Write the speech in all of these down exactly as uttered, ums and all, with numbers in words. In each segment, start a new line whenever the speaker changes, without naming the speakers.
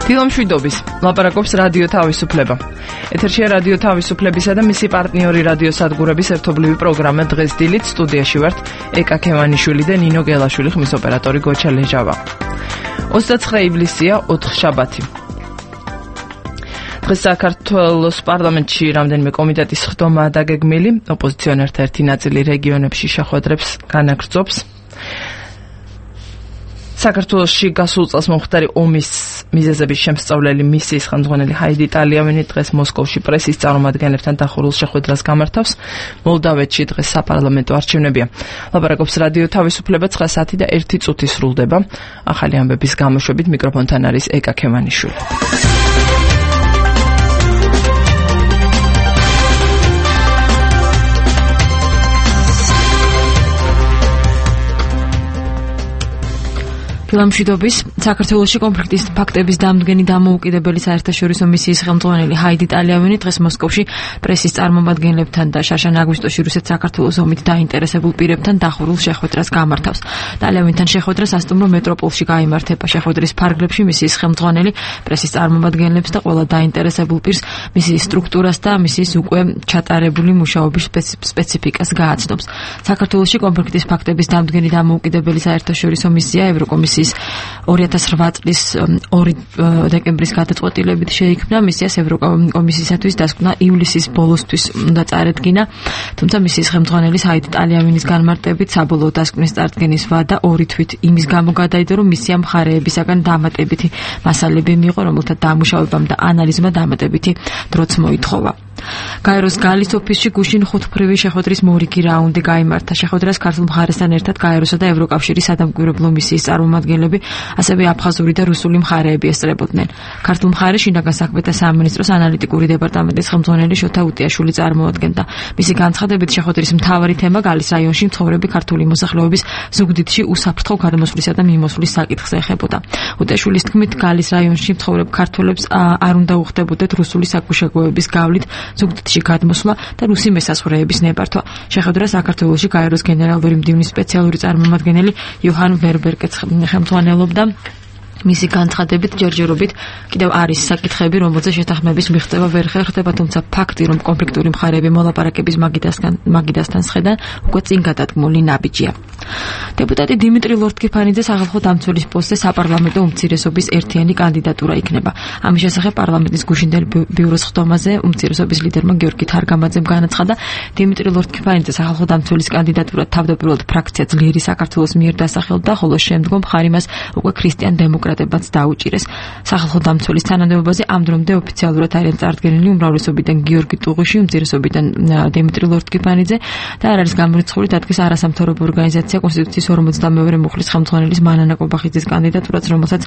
ფილმშვიდობის ლაპარაკობს რადიო თავისუფლება. ეთერშია რადიო თავისუფლებისა და მისი პარტნიორი რადიო სადგურების ერთობლივი პროგრამა დღეს დილით სტუდიაში ვართ ეკა ქევანიშვილი და ნინო გელაშვილი, ხმის ოპერატორი გოჩა ლეჟავა. ოცდაცხრე ივლისია, ოთხშაბათი. დღეს საქართველოს პარლამენტში რამდენიმე კომიტეტის ხდომაა დაგეგმილი, ოპოზიციონერთა ერთი ნაწილი რეგიონებში შეხვედრებს განაგრძობს. საქართველოში გასულ წელს მომხდარი ომის მიზეზების შემსწავლელი მისიის ხელმძღვანელი ჰაიდი ტალიავინი დღეს მოსკოვში პრესის წარმომადგენლებთან დახურულ შეხვედრას გამართავს. მოლდავეთში დღეს საპარლამენტო არჩევნებია. ლაპარაკობს რადიო თავისუფლება, ცხრა საათი და ერთი წუთი სრულდება. ახალი ამბების გამოშვებით მიკროფონთან არის ეკა ქევანიშვილი. ფილმშვიდობის საქართველოში კონფლიქტის ფაქტების დამდგენი დამოუკიდებელი საერთაშორისო მისიის ხელმძღვანელი ჰაიდი ტალიავინი დღეს მოსკოვში პრესის წარმომადგენლებთან და შაშან აგვისტოში რუსეთ-საქართველოს ომით დაინტერესებულ პირებთან დახურულ შეხვედრას გამართავს. ტალიავინთან შეხვედრა სასტუმრო მეტროპოლში გაიმართება. შეხვედრის ფარგლებში მისიის ხელმძღვანელი პრესის წარმომადგენლებს და ყველა დაინტერესებულ პირს მისიის სტრუქტურას და მისიის უკვე ჩატარებული მუშაობის სპეციფიკას გააცნობს. საქართველოში კონფლიქტის ფაქტების დამდგენი დამოუკიდებელი საერთაშორისო მისია ევროკომისიის ორი ათას რვა წლის ორი დეკემბრის გადაწყვეტილებით შეიქმნა. მისიას ევროკომისიისათვის დასკვნა ივლისის ბოლოსთვის უნდა წარედგინა, თუმცა მისიის ხელმძღვანელის ჰაიდი ტალიავინის განმარტებით საბოლოო დასკვნის წარდგენის ვადა ორი თვით იმის გამო გადაიდო, რომ მისიამ მხარეებისაგან დამატებითი მასალები მიიღო, რომელთა დამუშავებამ და ანალიზმა დამატებითი დროც მოითხოვა. გაეროს გალის ოფისში გუშინ ხუთმფრივი შეხვედრის მორიგი რაუნდი გაიმართა. შეხვედრას ქართულ მხარესთან ერთად გაეროსა და ევროკავშირის სადამკვირვებლო მისიის წარმომადგენლები, ასევე აფხაზური და რუსული მხარეები ესწრებოდნენ. ქართულ მხარეს შინაგან საქმეთა სამინისტროს ანალიტიკური დეპარტამენტის ხელმძღვანელი შოთა უტიაშვილი წარმოადგენდა. მისი განცხადებით შეხვედრის მთავარი თემა გალის რაიონში მცხოვრები ქართული მოსახლეობის ზუგდიდში უსაფრთხო გადმოსვლისა და მიმოსვლის საკითხს ეხებოდა. უტიაშვილის თქმით, გალის რაიონში მცხოვრებ ქართველებს არ უნდა უხდებოდეთ რუსული საგუშაგოების გავლით ზუგდიდში გადმოსვლა და რუსი მესაზღვრეების ნებართვა. შეხვედრა საქართველოში გაეროს გენერალური მდივნის სპეციალური წარმომადგენელი იოჰან ვერბერგეც ხელმძღვანელობდა. მისი განცხადებით ჯერჯერობით კიდევ არის საკითხები, რომელზეც შეთანხმების მიღწევა ვერ ხერხდება, თუმცა ფაქტი, რომ კონფლიქტური მხარეები მოლაპარაკების მაგიდასთან მაგიდასთან სხედან, უკვე წინ გადადგმული ნაბიჯია. დეპუტატი დიმიტრი ლორთქიფანიძე სახალხო დამცველის პოსტზე საპარლამენტო უმცირესობის ერთიანი კანდიდატურა იქნება. ამის შესახებ პარლამენტის გუშინდელ ბიუროს ხდომაზე უმცირესობის ლიდერმა გიორგი თარგამაძემ განაცხადა, დიმიტრი ლორთქიფანიძე სახალხო დამცველის კანდიდატურად თავდაპირველად ფრაქცია ძლიერი საქართველოს მიერ დასახელდა, ხოლო შემდგომ მხარი მას უკვე ქრისტიან დემოკრატებად დაუჭირეს. სახალხო დამცველის თანამდებობაზე ამ დრომდე ოფიციალურად არიან წარდგენილი უმრავლესობიდან გიორგი ტუღიში, უმცირესობიდან დიმიტრი ლორთქიფანიძე და არ არის გამორიცხული დადგეს არასამთავრობო ორგანიზაცია კონსტიტუციის ორმოცდამეორე მუხლის ხელმძღვანელის მანანა კობახიძის კანდიდატურაც, რომელსაც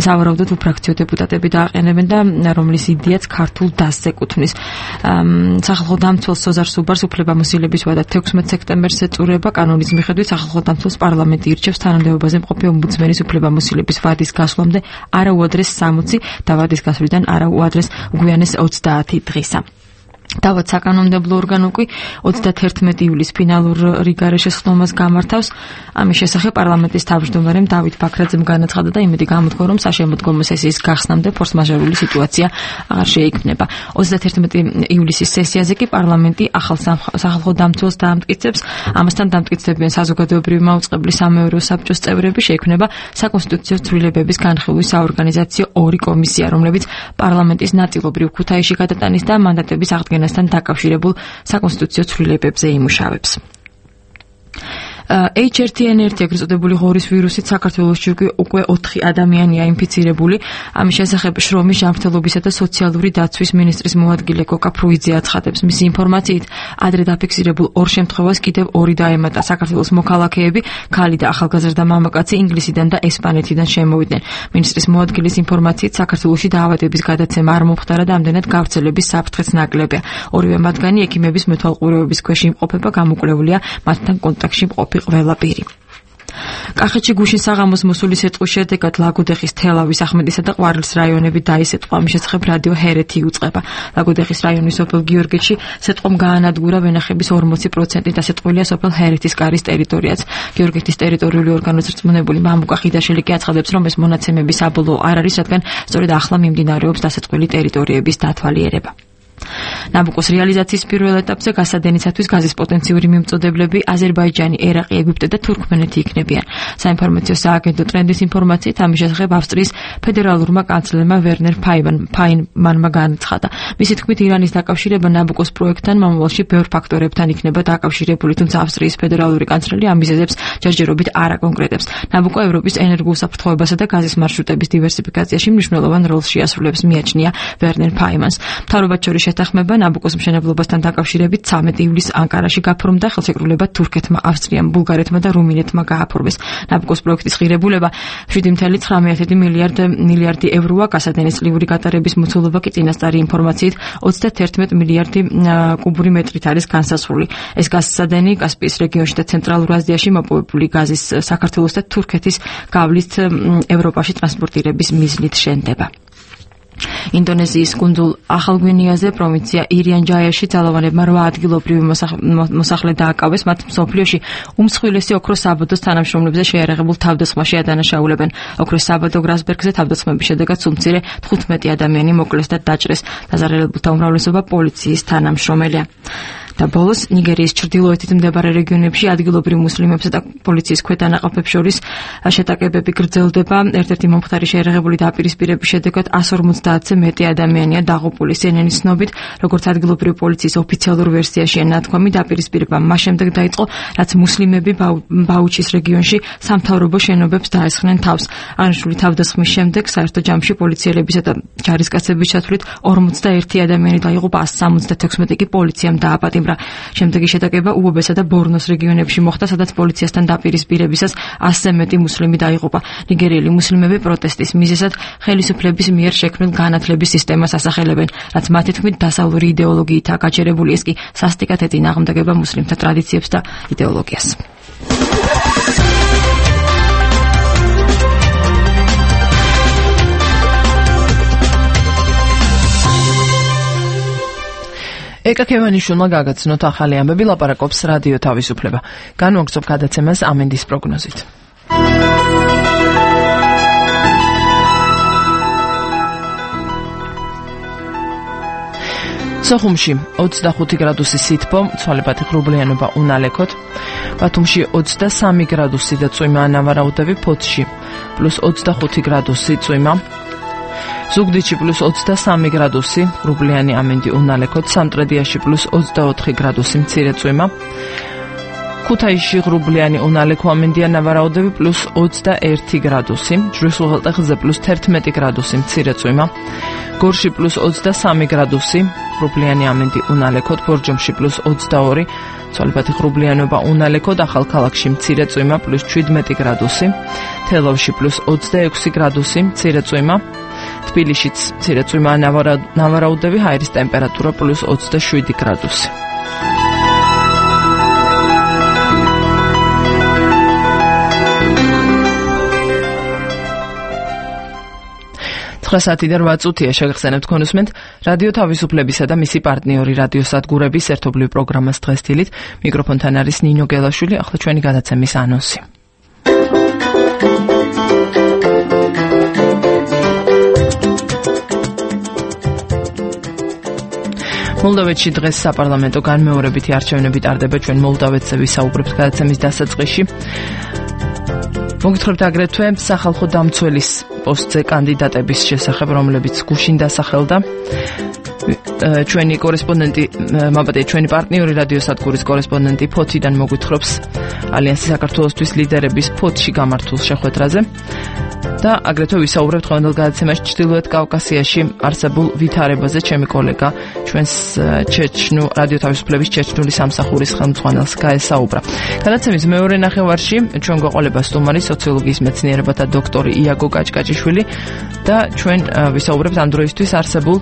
სავარაუდოდ უფრაქციო დეპუტატები დააყენებენ და რომლის იდეაც ქართულ დასს ეკუთვნის. სახალხო დამცველს სოზარ სუბარს უფლებამოსილების ვადა თექვსმეტ სექტემბერს ეწურება. კანონის მიხედვით სახალხო დამცველს პარლამენტი ირჩევს თანამდებობაზე მყოფი ომბუდსმენის უფლებამოსილების ვადის გასვლამდე არა უადრეს სამოცი და ვადის გასვლიდან არა უადრეს უგვიანეს ოცდაათი დღისა. დავად საკანონმდებლო ორგანო კი ოცდათერთმეტი ივლისს ფინალურ რიგარეშეს ხდომას გამართავს. ამის შესახებ პარლამენტის თავმჯდომარემ დავით ბაქრაძემ განაცხადა და იმედი გამოთქვა, რომ საშემოდგომო სესიის გახსნამდე ფორს-მაჟორული სიტუაცია აღარ შეიქმნება. ოცდათერთმეტი ივლისის სესიაზე კი პარლამენტი ახალ სახალხო დამცველს დაამტკიცებს. ამასთან დამტკიცდებიან საზოგადოებრივი მაუწყებლის სამეურვეო საბჭოს წევრები. შეიქმნება საკონსტიტუციო ცვლილებების განხილვის საორგანიზაციო ორი კომისია, რომლებიც პარლამენტის ნაწილობრივ ქუთაისში გადატანის და მანდატების აღდგენასთან დაკავშირებულ საკონსტიტუციო ცვლილებებზე იმუშავებს. ეიჩ ერთ ენ ერთი ეგრეთ წოდებული ღორის ვირუსით საქართველოში უკვე ოთხი ადამიანია ინფიცირებული. ამის შესახებ შრომის ჯანმრთელობისა და სოციალური დაცვის მინისტრის მოადგილე გოკა ფრუიძე აცხადებს. მისი ინფორმაციით, ადრე დაფიქსირებულ ორ შემთხვევას კიდევ ორი დაემატა. საქართველოს მოქალაქეები, ქალი და ახალგაზრდა მამაკაცი ინგლისიდან და ესპანეთიდან შემოვიდნენ. მინისტრის მოადგილის ინფორმაციით, საქართველოში დაავადების გადაცემა არ მომხდარა და ამდენად გავრცელების საფრთხეც ნაკლებია. ორივე მათგანი ექიმების მეთვალყურეობის ქვეშ იმყოფება, გამოკვლეულია მათთან კონტაქტში მყოფი ყველა პირი. კახეთში გუშინ საღამოს მოსული სიტყვის შედეგად ლაგოდეხის, თელავის, ახმეტისა და ყვარლის რაიონები დაისეტყვა. ამის შესახებ რადიო ჰერეთი უწყება. ლაგოდეხის რაიონის სოფელ გიორგეთში სიტყვამ გაანადგურა ვენახების ორმოცი პროცენტი დასეტყვილია სოფელ ჰერეთის კარის ტერიტორიაც. გიორგეთის ტერიტორიული ორგანოს რწმუნებული მამუკა ხიდაშელი კი აცხადებს, რომ ეს მონაცემები საბოლოო არ არის, რადგან სწორედ ახლა მიმდინარეობს დასეტყვილი ტერიტორიების დათვალიერება. ნაბუკოს რეალიზაციის პირველ ეტაპზე გასადენისათვის გაზის პოტენციური მიმწოდებლები აზერბაიჯანი, ერაყი, ეგვიპტე და თურქმენეთი იქნებიან. საინფორმაციო სააგენტო ტრენდის ინფორმაციით ამის შესახებ ავსტრიის ფედერალურმა კანცლერმა ვერნერ ფაინმანმა განაცხადა. მისი თქმით, ირანის დაკავშირება ნაბუკოს პროექტთან მომავალში ბევრ ფაქტორებთან იქნება დაკავშირებული, თუმცა ავსტრიის ფედერალური კანცლერი ამ მიზეზებს ჯერჯერობით არ აკონკრეტებს. ნაბუკო ევროპის ენერგოუსაფრთხოებასა და გაზის მარშრუტების დივერსიფიკაციაში მნიშვნელოვან როლს შეასრულებს, მიაჩნია ვერნერ ფაინმანს. მთავრობად შორის შეთანხმება ნაბუკოს მშენებლობასთან დაკავშირებით ცამეტი ივლისს ანკარაში გაფორმდა, ხელშეკრულება თურქეთმა, ავსტრიამ, ბულგარეთმა და რუმინეთმა გააფორმეს. ნაბუკოს პროექტის ღირებულება შვიდი წუთი ცხრამეტი მილიარდი ევროა, გასადენისწლიური გატარების მოცულობა კი წინასწარი ინფორმაციით ოცდაათი მილიარდი კუბური მეტრით არის განსაზღვრული. ეს გასადენი კასპიის რეგიონში და ცენტრალურ აზიაში მოპოვებული გაზის საქართველოს და თურქეთის გავლით ევროპაში ტრანსპორტირების მიზნით შენდება. ინდონეზიის კუნძულ ახალგვინეაზე პროვინცია ირიან-ჯაიაში ძალოვანებმა რვა ადგილობრივი მოსახლე დააკავეს, მათ მსოფლიოში უმსხვილესი ოქროს საბადოს თანამშრომლებზე შეიარაღებულ თავდასხმაში ადანაშაულებენ. ოქროს საბადო გრასბერგზე თავდასხმების შედეგად სულ-მცირე თხუთმეტი ადამიანი მოკლეს და დაჭრეს. დაზარალებულთა უმრავლესობა პოლიციის თანამშრომელია. და ბოლოს ნიგერიის ჩრდილოეთით მდებარე რეგიონებში ადგილობრივ მუსლიმებსა და პოლიციის ქვედანაყოფებს შორის შეტაკებები გრძელდება. ერთ-ერთი მომხდარი შეიარაღებული დაპირისპირების შედეგად εκατს ორმოცდაათზე მეტი ადამიანია დაღუპული. სიენენის ცნობით, როგორც ადგილობრივი პოლიციის ოფიციალურ ვერსიაშია ნათქვამი, დაპირისპირება მას შემდეგ დაიწყო, რაც მუსლიმები ბაუჩის რეგიონში სამთავრობო შენობებს დაესხნენ თავს. აღნიშნული თავდასხმის შემდეგ საერთო ჯამში პოლიციელებისა და ჯარისკაცების ჩათვლით ორმოცდაერთი ადამიანი დაიღუპა, ასი სამოცდათექვსმეტი კი პოლიციამ დააპატიმრა. შემდეგი შეტაკება უობესა და ბორნოს რეგიონებში მოხდა, სადაც პოლიციასთან დაპირისპირებისას ასზე მეტი მუსლიმი დაიღუპა. ნიგერიელი მუსლიმები პროტესტის მიზეზად ხელისუფლების მიერ შექმნილ განათლების სისტემას ასახელებენ, რაც მათი თქმით დასავლური იდეოლოგიითაა გაჩერებული. ეს კი სასტიკად ეწინააღმდეგება მუსლიმთა ტრადიციებს და იდეოლოგიას. ეკა ქევანიშვილმა გაგაცნოთ ახალი ამბები, ლაპარაკობს რადიო თავისუფლება. განვაგრძობ გადაცემას ამინდის პროგნოზით. სოხუმში ოცდახუთი გრადუსი სითბო, ცვალებადი ღრუბლიანობა უნალექოთ. ბათუმში ოცდასამი გრადუსი და წვიმა ანავარაუდები, ფოთში პლუს ოცდახუთი გრადუსი წვიმა. ზუგდიდში პლუს ოცდასამი გრადუსი, ღრუბლიანი ამინდი უნალექოთ, სამტრედიაში პლუს ოცდაოთხი გრადუსი მცირე წვიმა. ქუთაისში ღრუბლიანი უნალექო ამინდია ნავარაუდები პლუს ოცდაერთი გრადუსი, ჯვრისუღელტეხზე პლუს თერთმეტი გრადუსი მცირე წვიმა. გორში პლუს ოცდასამი გრადუსი, ღრუბლიანი ამინდი უნალექოთ, ბორჯომში პლუს ოცდაორი, ცვალებადი ღრუბლიანობა უნალექოთ, ახალქალაქში მცირე წვიმა პლუს შვიდმეტი გრადუსი, თელავში პლუს ოცდაექვსი გრადუსი მცირე წვიმა. თბილისშიც მცირე წვიმა ნავარაუდები, ჰაერის ტემპერატურა პლუს ოცდაშვიდი გრადუსი. ცხრა საათი და რვა წუთია, შეგახსენებთ კონსუმენტ რადიო თავისუფლებისა და მისი პარტნიორი რადიოსადგურების ერთობლივ პროგრამას დღეს დილით. მიკროფონთან არის ნინო გელაშვილი, ახლა ჩვენი გადაცემის ანონსი. მოლდოვეთში დღეს საპარლამენტო განმეორებითი არჩევნები ტარდება. ჩვენ მოლდოვეთზე ვისაუბრებთ გადაცემის დასაწყისში. მოგითხრებთ აგრეთვე სახალხო დამცველის პოსტზე კანდიდატების შესახებ, რომლებიც გუშინ დასახელდა. ჩვენი კორესპონდენტი, მაბატე, ჩვენი პარტნიორი რადიოსადგურის კორესპონდენტი ფოთიდან მოგვითხრობს ალიანსი საქართველოსთვის ლიდერების ფოთში გამართულ შეხვედრაზე. და აგრეთვე ვისაუბრებთ დღევანდელ გადაცემაში ჩრდილოეთ კავკასიაში არსებულ ვითარებაზე. ჩემი კოლეგა ჩვენს ჩეჩნუ რადიო თავისუფლების ჩეჩნული სამსახურის ხელმძღვანელს გაესაუბრა. გადაცემის მეორე ნახევარში ჩვენ გვეყოლება სტუმარი, სოციოლოგიის მეცნიერებათა დოქტორი იაგო კაჭკაჭიშვილი და ჩვენ ვისაუბრებთ ამ დროისთვის არსებულ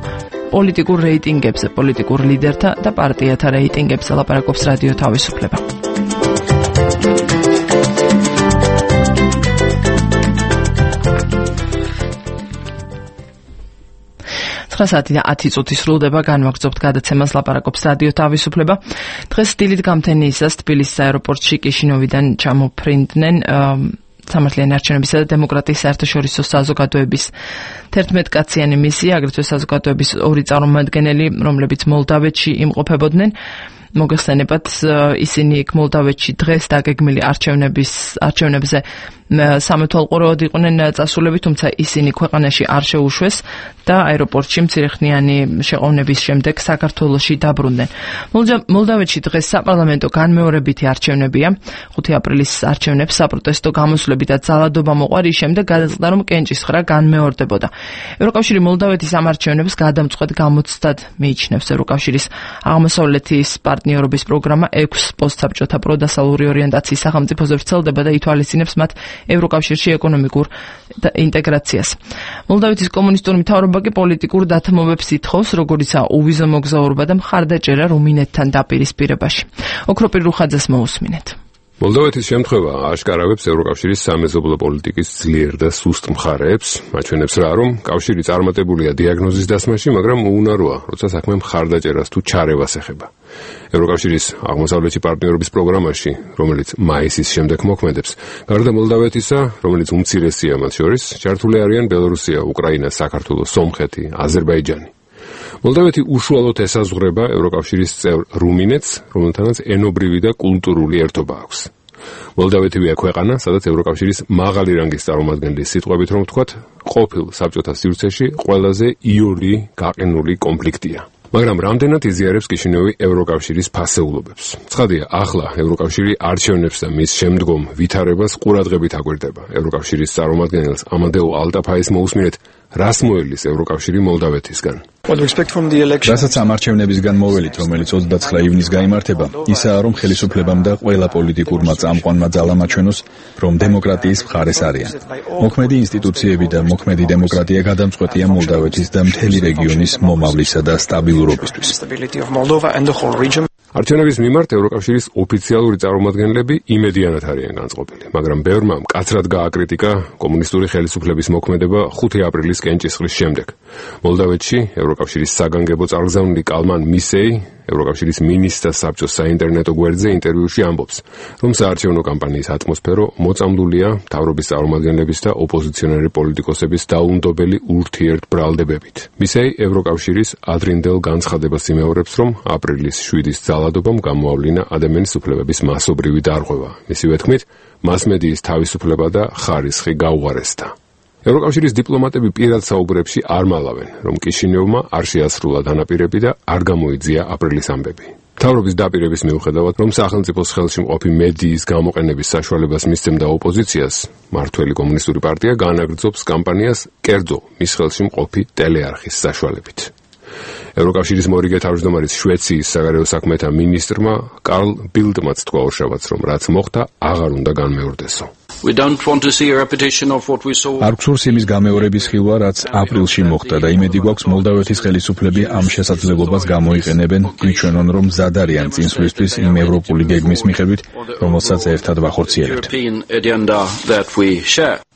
პოლიტიკურ რეიტინგებზე, პოლიტიკურ ლიდერთა და პარტიათა რეიტინგებზე. ლაპარაკობს რადიო თავისუფლება.
ცხრა საათი და ათი წუთი სრულდება, განვაგრძობთ გადაცემას ლაპარაკობს რადიო თავისუფლება. დღეს დილით გამთენიისას თბილისის აეროპორტში კიშინოვიდან ჩამოფრინდნენ სამართლიანი არჩევნებისა და დემოკრატიის საერთაშორისო საზოგადოების თერთმეტკაციანი მისია, აგრეთვე საზოგადოების ორი წარმომადგენელი, რომლებიც მოლდავეთში იმყოფებოდნენ. მოგეხსენებათ, ისინი იქ მოლდავეთში დღეს დაგეგმილი არჩევნების არჩევნებზე სამეთვალყურეოდ იყვნენ წასულები, თუმცა ისინი ქვეყანაში არ შეუშვეს და აეროპორტში მცირეხნიანი შეყოვნების შემდეგ საქართველოში დაბრუნდნენ. მოლდავეთში დღეს საპარლამენტო განმეორებითი არჩევნებია. ხუთი აპრილის არჩევნებს საპროტესტო გამოსვლები და ძალადობა მოყვა, რის შემდეგ გადაწყდა, რომ კენჭისხრა განმეორდებოდა. ევროკავშირი მოლდავეთის ამ არჩევნებს გადამწყვეტ გამოცდად მიიჩნევს. ევროკავშირის აღმოსავლეთის პარტნიორობის პროგრამა ექვს პოსტსაბჭოთა პროდასალური ორიენტაციის სახელმწიფოზე ვრცელდება და ითვალისწინებს მათ ევროკავშირში ეკონომიკურ ინტეგრაციას. მოლდავეთის კომუნისტური მთავრობა კი პოლიტიკურ დათმობებს ითხოვს, როგორიცაა უვიზო მოგზაურობა და მხარდაჭერა რუმინეთთან დაპირისპირებაში. ოქროპირ რუხაძეს მოусმინეთ.
მოლდავეთის შემთხვევა აშკარავებს ევროკავშირის სამეზობლო პოლიტიკის ძლიერ და სუსტ მხარეებს, აჩვენებს რა, რომ კავშირი წარმატებულია დიაგნოზის დასმაში, მაგრამ უუნაროა, როცა საქმე მხარდაჭერას თუ ჩარევას ეხება. ევროკავშირის აღმოსავლეთი პარტნიორობის პროგრამაში, რომელიც მაისის შემდეგ მოქმედებს, გარდა მოლდავეთისა, რომელიც უმცირესია მათ შორის, ჩართული არიან ბელორუსია, უკრაინა, საქართველო, სომხეთი, აზერბაიჯანი. მოლდავეთი უშუალოდ ესაზღვრება ევროკავშირის წევრ რუმინეთს, რომელთანაც ენობრივი და კულტურული ერთობა აქვს. მოლდავეთივეა ქვეყანა, სადაც ევროკავშირის მაღალი რანგის წარმომადგენლის სიტყვებით რომ ვთქვათ, ყოფილ საბჭოთა სივრცეში ყველაზე იური გაყინული კონფლიქტია. მაგრამ რამდენად იზიარებს კიშინევი ევროკავშირის ფასეულობებს. ცხადია, ახლა ევროკავშირი არჩევნებს და მის შემდგომ ვითარებას ყურადღებით აგვერდება. ევროკავშირის წარმომადგენელს ამადეო ალტაფაის მოусმინეთ, რას მოელის ევროკავშირი მოლდავეთისგან.
რასაც ამ არჩევნებისგან მოველით, რომელიც ოცდაცხრა ივნის გაიმართება, ისაა, რომ ხელისუფლებამ და ყველა პოლიტიკურმა წამყვანმა ძალამ აჩვენოს, რომ დემოკრატიის მხარეს არიან. მოქმედი ინსტიტუციები და მოქმედი დემოკრატია გადამწყვეტია მოლდავეთის და მთელი რეგიონის მომავლისა და სტაბილურობისთვის.
არჩევნების მიმართ ევროკავშირის ოფიციალური წარმომადგენლები იმედიანად არიან განწყობილი, მაგრამ ბევრმა მკაცრად გააკრიტიკა კომუნისტური ხელისუფლების მოქმედება ხუთი აპრილის კენჭისყრის შემდეგ. მოლდავეთში ევროკავშირის საგანგებო წარგზავნილი კალმან მისეი ევროკავშირის მინისტრთა საბჭოს საინტერნეტო გვერდზე ინტერვიუში ამბობს, რომ საარჩევნო კამპანიის ატმოსფერო მოწამლულია მთავრობის წარმომადგენლების და ოპოზიციონერი პოლიტიკოსების დაუნდობელი ურთიერთბრალდებებით. მისეი ევროკავშირის ადრინდელ განცხადებას იმეორებს, რომ აპრილის შვიდის ძალადობამ გამოავლინა ადამიანის უფლებების მასობრივი დარღვევა. მისივე თქმით, მასმედიის თავისუფლება და ხარისხი გაუარესდა. ევროკავშირის დიპლომატები პირად საუბრებში არ მალავენ, რომ კიშინევმა არ შეასრულა დანაპირები და არ გამოიძია აპრილის ამბები. მთავრობის დაპირების მიუხედავად, რომ სახელმწიფოს ხელში მყოფი მედიის გამოყენების საშუალებას მისცემდა ოპოზიციას, მმართველი კომუნისტური პარტია განაგრძობს კამპანიას კერძო მის ხელში მყოფი ტელეარხის საშუალებით. ევროკავშირის მორიგე თავმჯდომარის შვეიციის საგარეო საქმეთა მინისტრმა კარლ ბილდმაც თქვა ორშაბათს, რომ რაც მოხდა, აღარ უნდა განმეორდესო.
არ გვსურს იმის გამეორების ხილვა, რაც აპრილში მოხდა და იმედი გვაქვს მოლდავეთის ხელისუფლები ამ შესაძლებლობას გამოიყენებენ, გვიჩვენონ, რომ მზად არიან წინსვლისთვის იმ ევროპული გეგმის მიხედვით, რომელსაც ერთად ვახორციელებთ.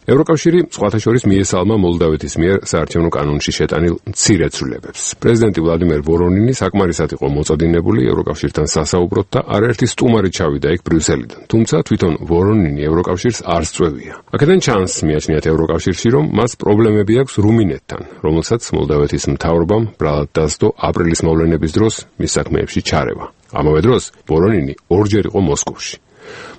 ევროკავშირი სხვათა შორის მიესალმა მოლდავეთის მიერ საარჩევნო კანონში შეტანილ მცირე ცვლილებებს. პრეზიდენტი ვლადიმერ ვორონინი საკმარისად იყო მოწოდინებული ევროკავშირთან სასაუბროთ და არაერთი სტუმარი ჩავიდა იქ ბრიუსელიდან. თუმცა თვითონ ვორონინი ევროკავშირს არ სწვევია. აქედან ჩანს, მიაჩნიათ ევროკავშირში, რომ მას პრობლემები აქვს რუმინეთთან, რომელსაც მოლდავეთის მთავრობამ ბრალად დასდო აპრილის მოვლენების დროს მის საქმეებში ჩარევა. ამავე დროს ვორონინი ორჯერ იყო მოსკოვში.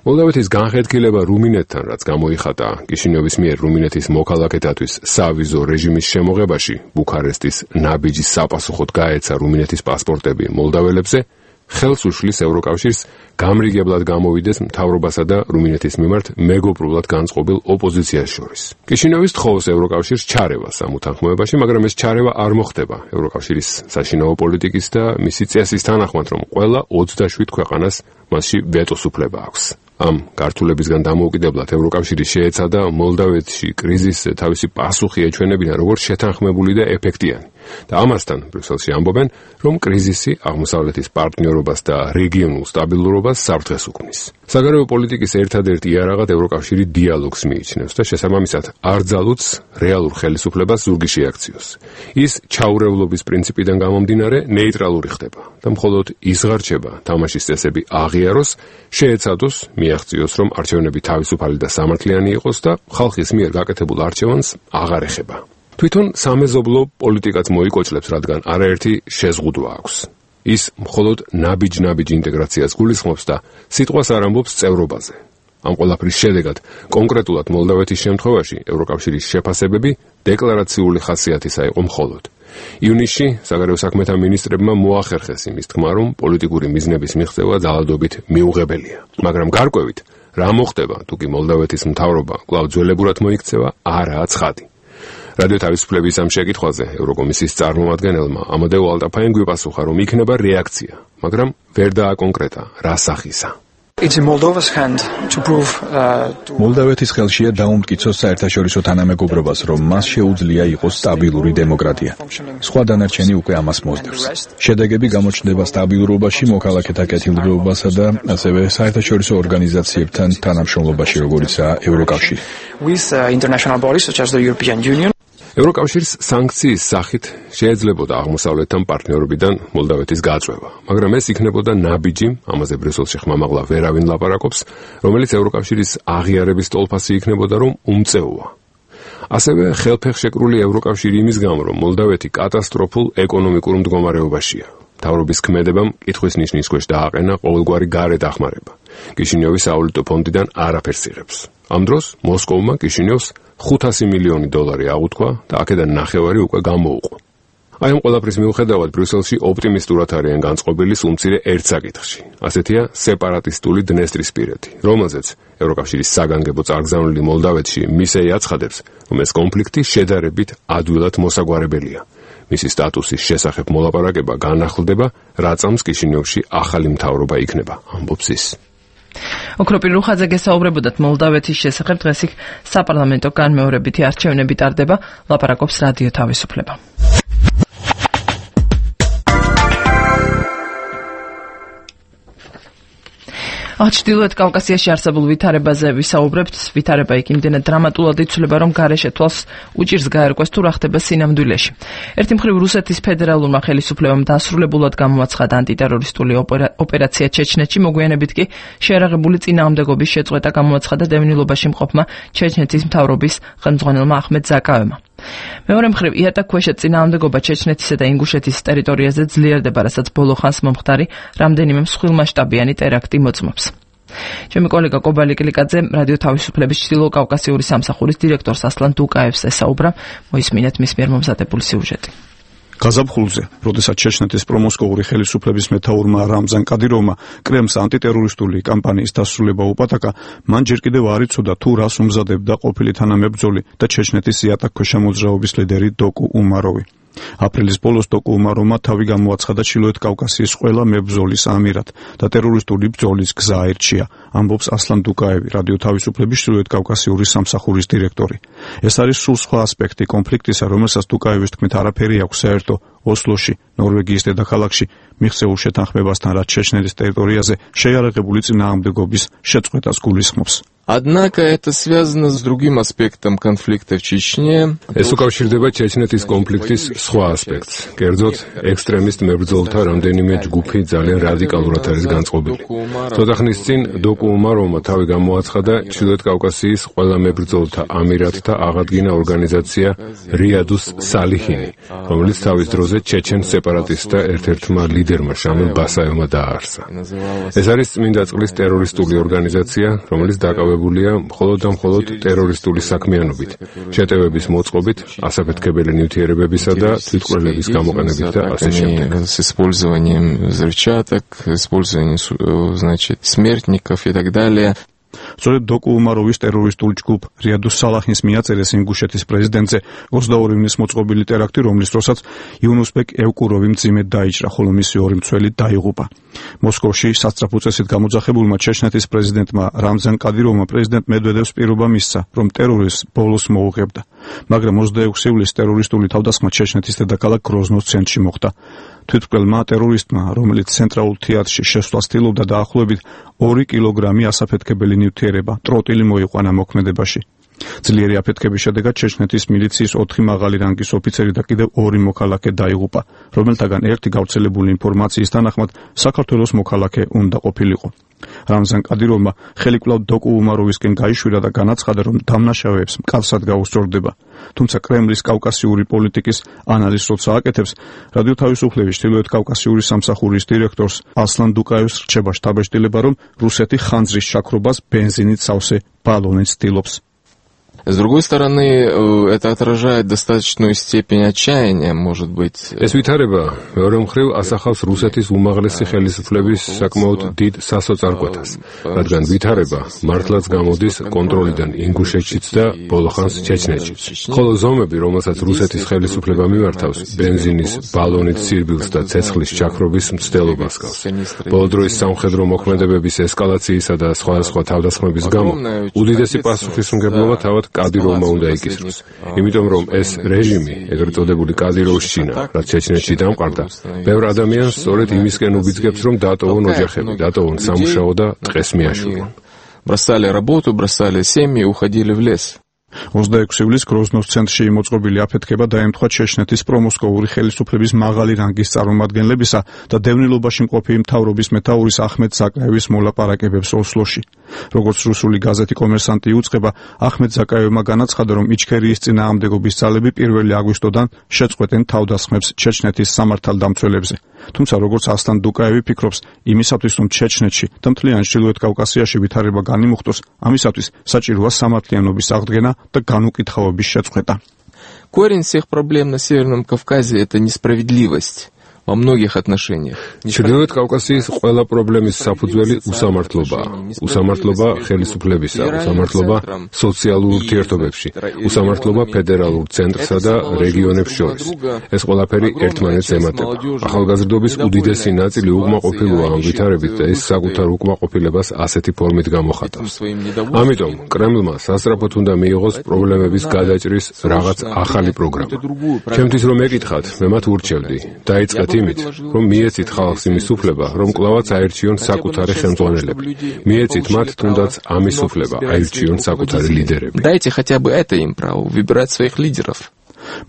მოლდავეთის განხეთქილება რუმინეთთან, რაც გამოიხატა კიშინევის მიერ რუმინეთის მოქალაქეთათვის სავიზო რეჟიმის შემოღებაში, ბუქარესტის ნაბიჯის საპასუხოდ გაეცა რუმინეთის პასპორტები მოლდაველებზე, ხელს უშლის ევროკავშირს გამრიგებლად გამოვიდეს მთავრობასა და რუმინეთის მიმართ მეგობრულად განწყობილ ოპოზიციას შორის. კიშინევის თხოვს ევროკავშირს ჩარევას ამ უთანხმოებაში, მაგრამ ეს ჩარევა არ მოხდება ევროკავშირის საშინაო პოლიტიკის და მისი წესის თანახმად, რომ ყველა ოცდაშვიდ ქვეყანას მასში ვეტოს უფლება აქვს. ამ გართულებისგან დამოუკიდებლად ევროკავშირი შეეცადა მოლდავეთში კრიზისზე თავისი პასუხი ეჩვენებინა როგორც შეთანხმებული და ეფექტიანი. და ამასთან ბრიუსელში ამბობენ, რომ კრიზისი აღმოსავლეთის პარტნიორობას და რეგიონულ სტაბილურობას საფრთხეს უქმნის. საგარეო პოლიტიკის ერთადერთ იარაღად ევროკავშირი დიალოგს მიიჩნევს და შესაბამისად არ ძალუძს რეალურ ხელისუფლებას ზურგი შეაქციოს. ის ჩაურევლობის პრინციპიდან გამომდინარე ნეიტრალური ხდება და მხოლოდ იზღარჩება თამაშის წესები აღიაროს, შეეცადოს, მიაღწიოს, რომ არჩევნები თავისუფალი და სამართლიანი იყოს და ხალხის მიერ გაკეთებულ არჩევანს აღარ ეხება. თვითონ სამეზობლო პოლიტიკაც მოიკოჭლებს, რადგან არაერთი შეზღუდვა აქვს. ის მხოლოდ ნაბიჯ-ნაბიჯ ინტეგრაციას გულისხმობს და სიტყვას არ ამბობს წევრობაზე. ამ ყველაფრის შედეგად კონკრეტულად მოლდავეთის შემთხვევაში ევროკავშირის შეფასებები დეკლარაციული ხასიათისა იყო მხოლოდ. ივნისში საგარეო საქმეთა მინისტრებმა მოახერხეს იმის თქმა, რომ პოლიტიკური მიზნების მიღწევა ძალადობით მიუღებელია. მაგრამ გარკვევით, რა მოხდება, თუ კი მოლდავეთის მთავრობა კვლავ ძველებურად მოიქცევა, არაა ცხადი. რადიო თავისუფლების ამ შეკითხვაზე ევროკომისიის წარმომადგენელმა ამადეო ალტაფაიამ გვიპასუხა, რომ იქნება რეაქცია, მაგრამ ვერ დააკონკრეტა რა სახისა.
მოლდავეთის ხელშია დაუმტკიცოს საერთაშორისო თანამეგობრობას, რომ მას შეუძლია იყოს სტაბილური დემოკრატია. სხვა დანარჩენი უკვე ამას მოსდევს. შედეგები გამოჩნდება სტაბილურობაში, მოქალაქეთა კეთილდღეობასა და ასევე საერთაშორისო ორგანიზაციებთან თანამშრომლობაში, როგორიცაა ევროკავშირი.
ევროკავშირის სანქციის სახით შეეძლებოდა აღმოსავლეთთან პარტნიორობიდან მოლდავეთის გაწვევა, მაგრამ ეს იქნებოდა ნაბიჯი, ამაზე ბრიუსელში ხმამაღლა ვერავინ ლაპარაკობს, რომელიც ევროკავშირის აღიარების ტოლფასი იქნებოდა, რომ უმწეოა. ასევე ხელფეხშეკრული ევროკავშირი იმის გამო, რომ მოლდავეთი კატასტროფულ ეკონომიკურ მდგომარეობაშია. მთავრობის ქმედებამ კითხვის ნიშნის ქვეშ დააყენა ყოველგვარი გარე დახმარება. კიშინიოვის საავადმყოფო ფონდიდან არაფერს იღებს. ამ დროს მოსკოვმა კიშინიოვს ხუთასი მილიონი დოლარი აღუთქვა და აქედან ნახევარი უკვე გამოუყო. აი ამ ყველაფრის მიუხედავად ბრიუსელში ოპტიმისტურად არიან განწყობილი სულ მცირე ერთ საკითხში. ასეთია სეპარატისტული დნესტრისპირეთი, რომელზეც ევროკავშირის საგანგებო წარგზავნილი მოლდავეთში მისეი აცხადებს, რომ ეს კონფლიქტი შედარებით ადვილად მოსაგვარებელია. მისი სტატუსის შესახებ მოლაპარაკება განახლდება, რა წამს კიშინიოვში ახალი მთავრობა იქნება, ამბობს ის.
ოქროპირ რუხაძე გესაუბრებოდათ მოლდავეთის შესახებ, დღეს იქ საპარლამენტო განმეორებითი არჩევნები ტარდება, ლაპარაკობს რადიო თავისუფლება. ჩრდილოეთ კავკასიაში არსებულ ვითარებაზე ვისაუბრებთ. ვითარება იქ იმდენად დრამატულად იცვლება, რომ გარეშე თვალს უჭირს გაერკვეს თუ რა ხდება სინამდვილეში. ერთი მხრივ რუსეთის ფედერალურმა ხელისუფლებამ დასრულებულად გამოაცხადა ანტიტერორისტული ოპერაცია ჩეჩნეთში, მოგვიანებით კი შეერაღებული წინააღმდეგობის შეწყვეტა გამოაცხადა დევნილობაში მყოფმა ჩეჩნეთის მთავრობის ხელმძღვანელმა ახმედ ზაკავებმა. მეორე მხრივ იატაკქვეშა წინააღმდეგობა ჩეჩნეთისა და ინგუშეთის ტერიტორიაზე ძლიერდება, რასაც ბოლო ხანს მომხდარი რამდენიმე მსხვილმასშტაბიანი ტერაქტი მოწმობს. ჩემი კოლეგა კობალი კლიკაძე რადიო თავისუფლების ჩრდილო კავკასიური სამსახურის დირექტორს ასლან დუკაევს ესაუბრა, მოისმინეთ მის მიერ მომზადებული სიუჟეტი.
გაზაფხულზე, როდესაც ჩეჩნეთის პრომოსკოვური ხელისუფლების მეთაურმა რამზან კადიროვმა კრემლს ანტიტერორისტული კამპანიის დასრულება უპატაკა, მან ჯერ კიდევ არ იცოდა თუ რას უმზადებდა ყოფილი თანამებრძოლი და ჩეჩნეთის იატაკქვეშა მოძრაობის ლიდერი დოკუ უმაროვი. აპრილის ბოლოს დოკუ უმაროვმა თავი გამოაცხადა ჩრდილოეთ კავკასიის ყველა მებრძოლის ამირად და ტერორისტული ბრძოლის გზა აირჩია, ამბობს ასლან დუკაევი, რადიო თავისუფლების ჩრდილოეთ კავკასიური სამსახურის დირექტორი. ეს არის სულ სხვა ასპექტი კონფლიქტისა, რომელსაც დუკაევის თქმით არაფერი აქვს საერთო ოსლოში, ნორვეგიის დედაქალაქში მიღწეულ შეთანხმებასთან, რაც ჩეჩნეთის ტერიტორიაზე შეიარაღებული წინააღმდეგობის შეწყვეტას გულისხმობს.
Однако это связано с другим аспектом конфликта в Чечне.
ეს უკავშირდება ჩეჩნეთის კონფლიქტის სხვა ასპექტს. კერძოდ, ექსტრემისტ მებრძოლთა რამდენიმე ჯგუფი ძალიან რადიკალურად არის განწყობილი. ცოტა ხნის წინ დოკუ უმაროვმა თავი გამოაცხადა ჩრდილოეთ კავკასიის ყველა მებრძოლთა ამირატთა აღადგინა ორგანიზაცია რიადუს სალიხინი, რომელიც თავის დროზე ჩეჩენ სეპარატისტთა ერთ-ერთმა ლიდერმა შამილ ბასაევმა დააარსა. ეს არის წმინდა წყლის ტერორისტული ორგანიზაცია, რომელიც დაკავებულია მხოლოდ და მხოლოდ ტერორისტული საქმიანობით, შეტევების მოწყობით, ასაფეთქებელი ნივთიერებებისა და თვითმკვლელების გამოყენებით და ასე შემდეგ.
С использованием взрывчаток, использованием, значит, смертников и так далее.
სწორედ დოკუ უმაროვის ტერორისტული ჯგუფ რიადუს სალაჰინს მიაწერეს ინგუშეთის პრეზიდენტზე ოცდაორი ივნის მოწყობილი ტერაქტი, რომლის დროსაც იუნუსბეკ ევკუროვი მძიმედ დაიჭრა, ხოლო მისი ორი მცველი დაიღუპა. მოსკოვში სასწრაფო წესით გამოძახებულმა ჩეჩნეთის პრეზიდენტმა რამზან კადიროვმა პრეზიდენტ მედვედევს პირობა მისცა, რომ ტერორიზმს ბოლოს მოუღებდა. მაგრამ ოცდაექვსი ივლისს ტერორისტული თავდასხმა ჩეჩნეთის დედაქალაქ გროზნოს ცენტრში მოხდა. თვითმკვლელმა ტერორისტმა, რომელიც ცენტრალურ თეატრში შესვლას ცდილობდა, დაახლოებით ორი კილოგრამი ასაფეთქებელი ნივთიერება, ტროტილი მოიყვანა მოქმედებაში. ძლიერი აფეთქების შედეგად ჩეჩნეთის მილიციის ოთხი მაღალი რანგის ოფიცერი და კიდევ ორი მოქალაქე დაიღუპა, რომელთაგან ერთი გავრცელებული ინფორმაციის თანახმად საქართველოს მოქალაქე უნდა ყოფილიყო. რამზან კადიროვმა ხელი კვლავ დოკუ უმაროვისკენ გაიშვირა და განაცხადა, რომ დამნაშავეებს მკაცრად გაუსწორდება. თუმცა კრემლის კავკასიური პოლიტიკის ანალიზს როცა აკეთებს, რადიო თავისუფლების ჩრდილოეთ კავკასიური სამსახურის დირექტორს ასლან დუკაევს რჩება შთაბეჭდილება, რომ რუსეთი ხანძრის შაქრობას ბენზინით სავსე ბალონით ცდილობს.
С другой стороны, это отражает достаточную степень отчаяния, может быть.
ეს ვითარება მეორე მხრივ ასახავს რუსეთის უმაღლესი ხელისუფლების საკმაოდ დიდ სასოწარკვეთას, რადგან ვითარება მართლაც გამოდის კონტროლიდან ინგუშეთშიც და ბოლოხანს ჩეჩნეთშიც. ხოლო ზომები, რომელსაც რუსეთის ხელისუფლება მიმართავს, ბენზინის ბალონით სირბილს და ცეცხლის ჩაქრობის მცდელობას გავს. ბოლო დროის სამხედრო მოქმედებების ესკალაციისა და სხვადასხვა თავდასხმების გამო უდიდესი პასუხისმგებლობა თავად კადიროვმა უნდა იკისროს. იმიტომ რომ ეს რეჟიმი, ეგრეთ წოდებული კადიროვის ჩინა, რაც ჩეჩნეთში დამყარდა, ბევრ ადამიანს სწორედ იმისკენ უბიძგებს, რომ დატოვონ ოჯახები, დატოვონ სამუშაო და ტყეს მიაშურონ.
Бросали работу, бросали семьи, уходили в лес.
ოცდაექვსი ივლისს გროზნოს ცენტრში მოწყობილი აფეთქება დაემთხვა ჩეჩნეთის პრომოსკოვური ხელისუფლების მაღალი რანგის წარმომადგენლებისა და დევნილობაში მყოფი მთავრობის მეთაურის ახმედ ზაკაევის მოლაპარაკებებს ოსლოში. როგორც რუსული გაზეთი კომერსანტი იუწყება, ახმედ ზაკაევმა განაცხადა, რომ იჩქერიის წინააღმდეგობის ძალები პირველი აგვისტოდან შეწყვეტენ თავდასხმებს ჩეჩნეთის სამართალდამცველებზე. თუმცა როგორც ასლან დუკაევი ფიქრობს, იმისათვის რომ ჩეჩნეთში და მთლიან ჩრდილოეთ კავკასიაში ვითარება განიმუხტოს, ამისათვის საჭიროა სამართლიანობის აღდგენა და განუკითხავების შეწყვეტა.
Корень всех проблем на Северном Кавказе – это несправедливость. Во многих отношениях.
ჩრდილოეთ კავკასიის ყველა პრობლემის საფუძველი უსამართლობაა. უსამართლობა ხელისუფლებისა, უსამართლობა სოციალურ ურთიერთობებში, უსამართლობა ფედერალურ ცენტრსა და რეგიონებს შორის. ეს ყველაფერი ერთმანეთს ემატება. ახალგაზრდობის უდიდესი ნაწილი უკმაყოფილოა ამ ვითარებით და ის საკუთარ უკმაყოფილებას ასეთი ფორმით გამოხატავს. ამიტომ კრემლმა სასწრაფოდ უნდა მიიღოს პრობლემების გადაჭრის რაღაც ახალი პროგრამა. ჩემთვის რომ ეკითხათ, მე მათ ურჩევდი, დაიწყეთ იმით, რომ მიეცით ხალხს იმის უფლება, რომ კლავაც აერჩიონ საკუთარი ხელმძღვანელები. მიეცით მათ თუნდაც ამის უფლება, აერჩიონ საკუთარი ლიდერები.
Дайте хотя бы это им право выбирать своих лидеров.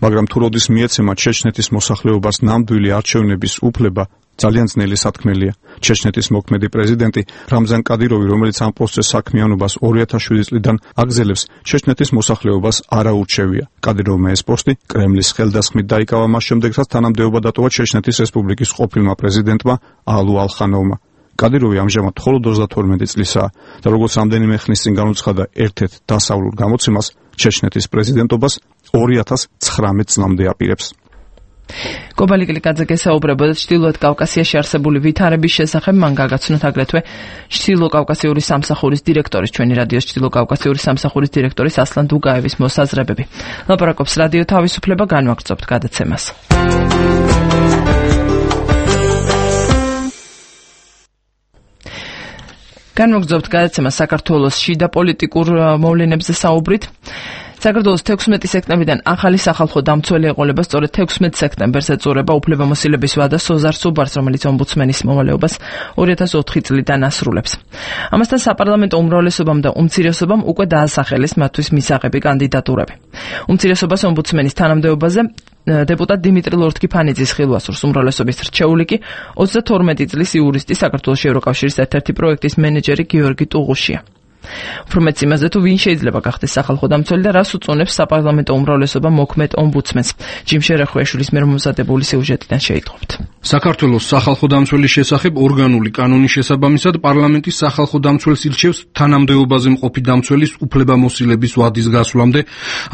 მაგრამ თუ როდის მიეცემა ჩეჩნეთის მოსახლეობას ნამდვილი არჩევნების უფლება, ძალიან ძნელი სათქმელია. ჩეჩნეთის მოქმედი პრეზიდენტი რამზან კადიროვი, რომელიც ამ პოსტზე საქმიანობას ორი ათას შვიდი წლიდან აგზელებს, ჩეჩნეთის მოსახლეობას არ აურჩევია. კადიროვმა ეს პოსტი კრემლის ხელდასხმით დაიკავა მას შემდეგ, რაც თანამდებობა დატოვა ჩეჩნეთის რესპუბლიკის ყოფილმა პრეზიდენტმა ალუ ალხანოვმა. კადიროვი ამჟამად მხოლოდ ოცდათორმეტი წლისაა და როგორც რამდენიმე ხნის წინ განუცხადა ერთ-ერთ დასავლურ გამოცემას, ჩეჩნეთის პრეზიდენტობას ორი ათას ცხრამეტ წლამდე აპირებს.
კობალი კლიკაძე გესაუბრებოდა ჩრდილოეთ კავკასიაში არსებული ვითარების შესახებ, მან გაგაცნოთ აგრეთვე ჩრდილოკავკასიური სამსახურის დირექტორის, ჩვენი რადიოს ჩრდილოკავკასიური სამსახურის დირექტორის ასლან დუკაევის მოსაზრებები. ლაპარაკობს რადიო თავისუფლება, განვაგრძობთ გადაცემას. განვაგრძობთ გადაცემას საქართველოს შიდა პოლიტიკურ მოვლენებზე საუბრით. საქართველოს თექვსმეტი სექტემბრიდან ახალი სახალხო დამცველი ეყოლება სწორედ თექვსმეტ სექტემბერს ეწურება უფლებამოსილების ვადა სოზარ სუბარს, რომელიც ომბუდსმენის მოვალეობას ორი ათას ოთხი წლიდან ასრულებს. ამასთან საპარლამენტო უმრავლესობამ და უმცირესობამ უკვე დაასახელეს მათთვის მისაღები კანდიდატურები. უმცირესობას ომბუდსმენის თანამდებობაზე დეპუტატ დიმიტრი ლორთქიფანიძის ხილვასურს, უმრავლესობის რჩეული კი ოცდათორმეტი წლის იურისტი, საქართველოს ევროკავშირის ერთ-ერთი პროექტის მენეჯერი გიორგი ტუღუშია. უფრო მეც იმაზე, თუ ვინ შეიძლება გახდეს სახალხო დამცველი და რას უწონებს საპარლამენტო უმრავლესობა მოქმედ ომბუდსმენს. ჯიმ შერეხვეშვილის მიერ მომზადებული სიუჟეტიდან შეიტყობთ.
საქართველოს სახალხო დამცველის შესახებ ორგანული კანონის შესაბამისად პარლამენტის სახალხო დამცველს ირჩევს თანამდებობაზე მყოფი დამცველის უფლებამოსილების ვადის გასვლამდე,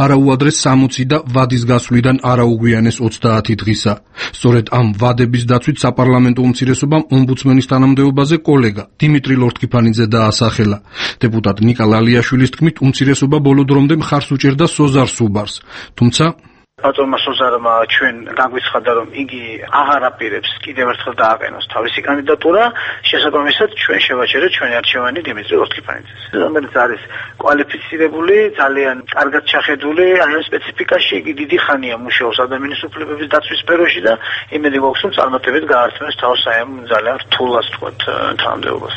არაუადრეს სამოცი და ვადის გასვლიდან არაუგვიანეს ოცდაათი დღისა. სწორედ ამ ვადების დაცვით საპარლამენტო უმცირესობამ ომბუდსმენის თანამდებობაზე კოლეგა დიმიტრი ლორთქიფანიძე დაასახელა. დეპუტატ ნიკა ლალიაშვილის თქმით, უმცირესობა ბოლო დრომდე მხარს უჭერდა სოზარ სუბარს. თუმცა
ბატონმა სოზარმა ჩვენ დაგვიცხადა, რომ იგი აღარ აპირებს კიდევ ერთხელ დააყენოს თავისი კანდიდატურა, შესაბამისად ჩვენ შევაჩერეთ ჩვენი არჩევანი დიმიტრი ლორთქიფანიძეს, რომელიც არის კვალიფიცირებული, ძალიან კარგად ჩახედული აი ამ სპეციფიკაში, იგი დიდი ხანია მუშაობს ადამიანის უფლებების დაცვის სფეროში და იმედი გვაქვს, რომ წარმატებით გაართმევს თავს აი ამ ძალიან რთულას თქვათ თანამდებობას.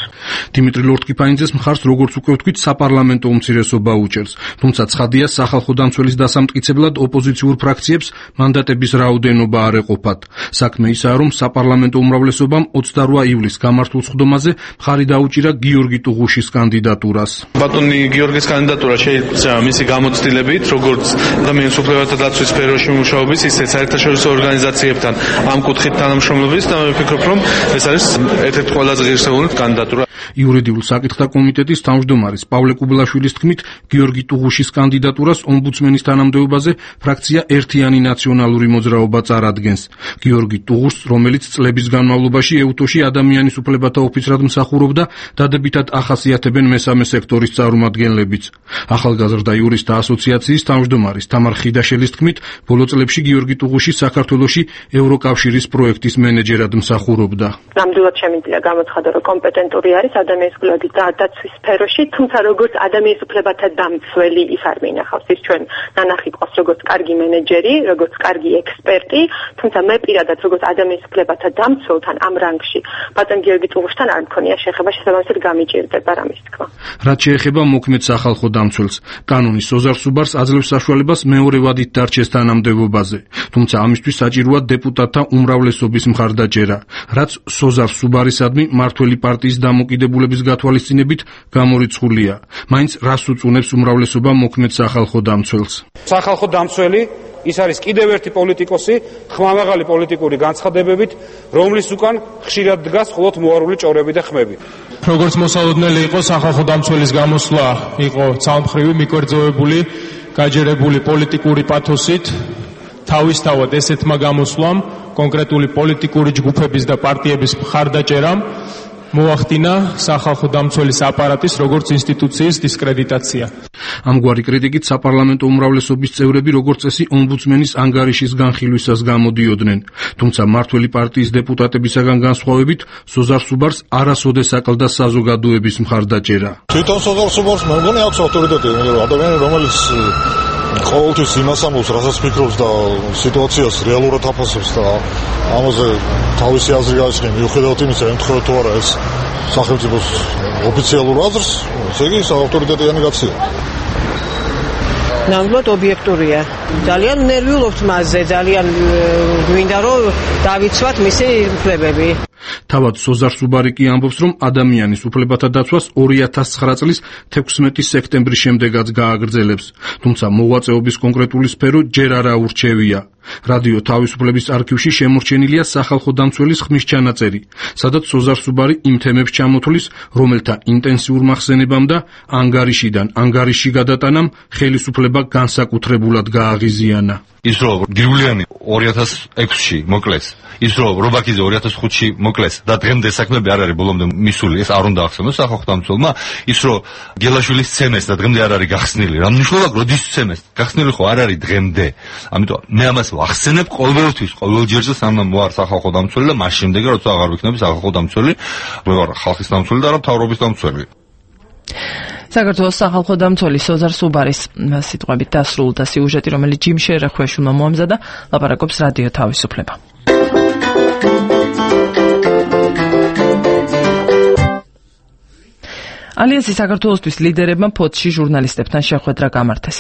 დიმიტრი ლორთქიფანიძეს მხარს, როგორც უკვე ვთქვით, საპარლამენტო უმცირესობა უჭერს, თუმცა ცხადია, სახალხო დამცველის დასამტკიცებლად ოპოზიციურ ფრაქციებს მანდატების რაოდენობა არ ეყოფათ. საქმე ისაა, რომ საპარლამენტო უმრავლესობამ ოცდარვა ივლისს გამართულ სხდომაზე მხარი დაუჭირა გიორგი ტუღუშის კანდიდატურას.
ბატონი გიორგის კანდიდატურა შეიძლება მისი გამოცდილებით, როგორც ადამიანის უფლებათა დაცვის სფეროში მუშაობის, ისე საერთაშორისო ორგანიზაციებთან ამ კუთხით თანამშრომლობის და მე ვფიქრობ, რომ ეს არის ერთ-ერთი ყველაზე ღირსეული კანდიდატურა.
იურიდიულ საკითხთა კომიტეტის თავმჯდომარის პავლე კუბლაშვილის თქმით, გიორგი ტუღუშის კანდიდატურას ომბუდსმენის თანამდებობაზე ფრაქცია ერთიანი ნაციონალური მოძრაობა წარადგენს. გიორგი ტუღუშს, რომელიც წლების განმავლობაში ეუთოში ადამიანის უფლებათა ოფიცრად მსახურობდა, დადებითად ახასიათებენ მესამე სექტორის წარმომადგენლებიც. ახალგაზრდა იურისტთა ასოციაციის თავმჯდომარის თამარ ხიდაშელის თქმით, ბოლო წლებში გიორგი ტუღუში საქართველოში ევროკავშირის პროექტის მენეჯერად მსახურობდა.
ნამდვილად შემიძლია გამოცხადო, რომ კომპეტენტური არის ადამიანის უფლებათა დაცვის სფეროში, თუმცა როგორც ადამიანის უფლებათა დამცველი ის არ მინახავს. ის ჩვენ ნანახი ყავს როგორც კარგი მენეჯერი, როგორც კარგი ექსპერტი, თუმცა მე პირადად როგორც ადამიანის უფლებათა დამცველთან ამ რანგში ბატონ გიორგი ტუღუშთან არ მქონია შეხება, შესაბამისად გამიჭირდება რამის თქვა.
რაც შეეხება მოქმედ სახალხო დამცველს, კანონის სოზარ სუბარს აძლევს საშუალებას მეორე ვადით დარჩეს თანამდებობაზე, თუმცა ამისთვის საჭიროა დეპუტატთა უმრავლესობის მხარდაჭერა, რაც სოზარ სუბარისადმი მმართველი პარტიის დამოკიდებულების გათვალისწინებით გამორიცხულია. მაინც რას უწუნებს უმრავლესობა მოქმედ სახალხო დამცველს?
სახალხო დამცველი ის არის კიდევ ერთი პოლიტიკოსი, ხმამაღალი პოლიტიკური განცხადებებით, რომლის უკან ხშირად დგას მხოლოდ მოარული ჭორები და ხმები.
როგორც მოსალოდნელი იყო, სახალხო დამცველის გამოსვლა იყო ცალმხრივი, მიკერძოებული, გაჯერებული პოლიტიკური პათოსით. თავისთავად ესეთმა გამოსვლამ, კონკრეტული პოლიტიკური ჯგუფების და პარტიების მხარდაჭერამ მოახდინა სახალხო დამცველის აპარატის როგორც ინსტიტუციის დისკრედიტაცია.
ამგვარი კრიტიკით საპარლამენტო უმრავლესობის წევრები როგორც წესი ომბუდსმენის ანგარიშის განხილვისას გამოდიოდნენ, თუმცა მმართველი პარტიის დეპუტატებისაგან განსხვავებით სოზარ სუბარს არასოდეს აკლდა საზოგადოების მხარდაჭერა.
თვითონ სოზარ სუბარს მე მგონი აქვს ავტორიტეტი, ადამიანი რომელიც ყოველთვის იმას ამბობს, რასაც ფიქრობს და სიტუაციას რეალურად აფასებს და ამაზე თავისი აზრი გააჩნია, მიუხედავად იმისა, ემთხვევა თუ არა ეს სახელმწიფოს ოფიციალურ აზრს, ესე იგი ავტორიტეტიანი კაცია.
ნამდვილად ობიექტურია. ძალიან ნერვიულობთ მასზე, ძალიან გვინდა რომ დავიცვათ მისი უფლებები.
თავად სოზარ სუბარი კი ამბობს, რომ ადამიანის უფლებათა დაცვას ორი ათას ცხრა წლის თექვსმეტი სექტემბრის შემდეგაც გააგრძელებს, თუმცა მოღვაწეობის კონკრეტული სფერო ჯერ არა ურჩევია. რადიო თავისუფლების არქივში შემორჩენილია სახალხო დამცველის ხმის ჩანაწერი, სადაც სოზარ სუბარი იმ თემებს ჩამოთვლის, რომელთა ინტენსიურ მახსენებამ და ანგარიშიდან ანგარიში გადატანამ ხელისუფლება განსაკუთრებულად გააღიზიანა.
ის რომ გირულიანი ორი ათას ექვსში მოკლეს, ის რომ რობაქიძე ორი ათას ხუთში მოკლეს და დღემდე საქმეები არ არის ბოლომდე მისული, ეს არ უნდა ახსენოს სახალხო დამცველმა, ის რომ გელაშვილის ცემეს და დღემდე არ არის გახსნილი, რა მნიშვნელობა როდის ცემეს? გახსნილი ხო არ არის დღემდე. ამიტომ მე ამას ვახსენებ ყოველთვის, ყოველ ჯერზე სანამ ვარ სახალხო დამცველი და მას შემდეგ როცა აღარ ვიქნები სახალხო დამცველი, მე ვარ ხალხის დამცველი და არა მთავრობის დამცველი.
საქართველოს სახალხო დამცველი სოზარ სუბარის სიტყვებით დასრულდა სიუჟეტი, რომელიც ჯიმ შერახვეშვილმა მოამზადა, ლაპარაკობს რადიო თავისუფლება. ალიანსი საქართველოსთვის ლიდერებმა ფოთში ჟურნალისტებთან შეხვედრა გამართეს.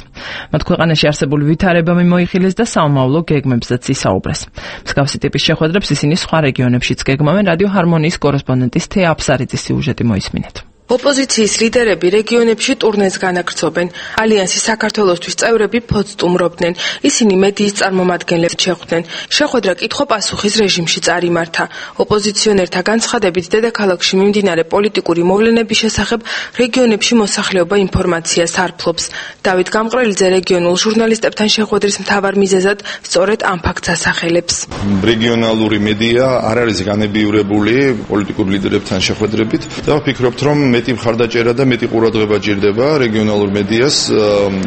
მათ ქვეყანაში არსებული ვითარებამი მოიხილეს და საომავლო გეგმებზეც ისაუბრეს. მსგავსი ტიპის შეხვედრებს ისინი სხვა რეგიონებშიც გეგმავენ. რადიო ჰარმონიის კორესპონდენტის თეა აფსარიძის სიუჟეტი მოისმინეთ.
ოპოზიციის ლიდერები რეგიონებში ტურნეს განაგრძობენ. ალიანსის საქართველოსთვის წევრები ფოთს სტუმრობდნენ. ისინი მედიის წარმომადგენლებს შეხვდნენ. შეხვედრა კითხვა-პასუხის რეჟიმში წარიმართა. ოპოზიციონერთა განცხადებით, დედაქალაქში მიმდინარე პოლიტიკური მოვლენების შესახებ რეგიონებში მოსახლეობა ინფორმაციას არ ფლობს. დავით გამყრელიძე რეგიონულ ჟურნალისტებთან შეხვედრის მთავარ მიზეზად სწორედ ამ ფაქტს ასახელებს.
რეგიონალური მედია არ არის განებიურებული პოლიტიკურ ლიდერებთან შეხვედრებით და ვფიქრობთ, რომ მეტი მხარდაჭერა და მეტი ყურადღება ჭირდება რეგიონალურ მედიას,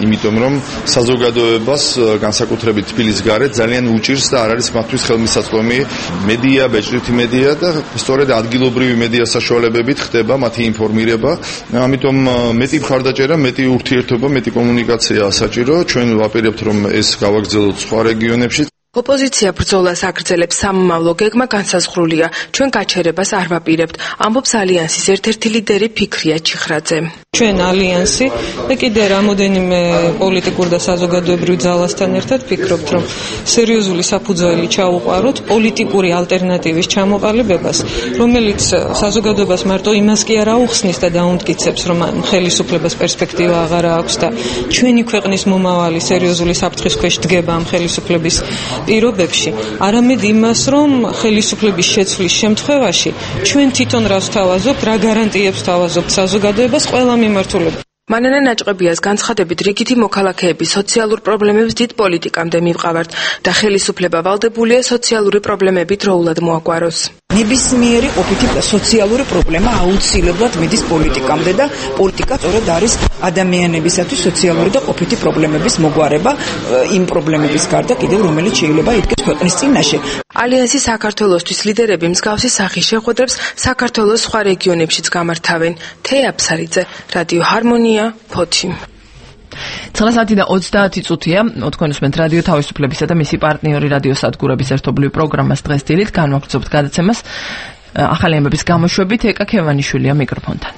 იმიტომ რომ საზოგადოებას განსაკუთრებით თბილისის გარეთ ძალიან უჭირს და არ არის მათთვის ხელმისაწვდომი მედია, ბეჭდვითი მედია და სწორედ ადგილობრივი მედია საშუალებებით ხდება მათი ინფორმირება. ამიტომ მეტი მხარდაჭერა, მეტი ურთიერთობა, მეტი კომუნიკაცია საჭირო. ჩვენ ვაპირებთ რომ ეს გავაგრძელოთ სხვა რეგიონებში.
ოპოზიცია ბრძოლას აგრძელებს, სამომავლო გეგმა განსაზღვრულია. ჩვენ გაჩერებას არ ვაპირებთ, ამბობს ალიანსის ერთ-ერთი ლიდერი ფიქრია ჩიხრაძე.
ჩვენ ალიანსი და კიდე რამოდენიმე პოლიტიკურ და საზოგადოებრივ ძალასთან ერთად ფიქრობთ, რომ სერიოზული საფუძველი ჩაუყაროთ პოლიტიკური ალტერნატივის ჩამოყალიბებას, რომელიც საზოგადოებას მარტო იმას კი არ აუხსნის და დაუნტკიცებს, რომ ხელისუფლებას პერსპექტივა აღარ აქვს და ჩვენი ქვეყნის მომავალი სერიოზული საფრთხის ქვეშ დგება ამ ხელისუფლების პირობებში, არამედ იმას, რომ ხელისუფლების შეცვლის შემთხვევაში ჩვენ თვითონ რას ვთავაზობთ, რა გარანტიებს ვთავაზობთ საზოგადოებას ყველა მიმართულებით.
მანანა ნაჭყებიას განცხადებით რიგითი მოქალაქეები სოციალურ პრობლემებს დიდ პოლიტიკამდე მივყავართ და ხელისუფლება ვალდებულია სოციალური პრობლემები დროულად მოაგვაროს.
ნებისმიერი ყოფითი სოციალური პრობლემა აუცილებლად მიდის პოლიტიკამდე და პოლიტიკა სწორედ არის ადამიანებისათვის სოციალური და ყოფითი პრობლემების მოგვარება იმ პრობლემების გარდა კიდევ რომელიც შეიძლება იდგეს ქვეყნის წინაშე.
ალიანსის საქართველოსთვის ლიდერები მსგავსი სახის შეხვედრებს საქართველოს სხვა რეგიონებშიც გამართავენ. თეა აფსარიძე, რადიო ჰარმონია, ფოთი.
ცხრა საათი და ოცდაათი წუთია. თქვენ უსმენთ რადიო თავისუფლებისა და მისი პარტნიორი რადიო სადგურების ერთობლივ პროგრამას დღეს დილით განვაგრძობთ გადაცემას ახალი ამბების გამოშვებით. ეკა ქევანიშვილია მიკროფონთან.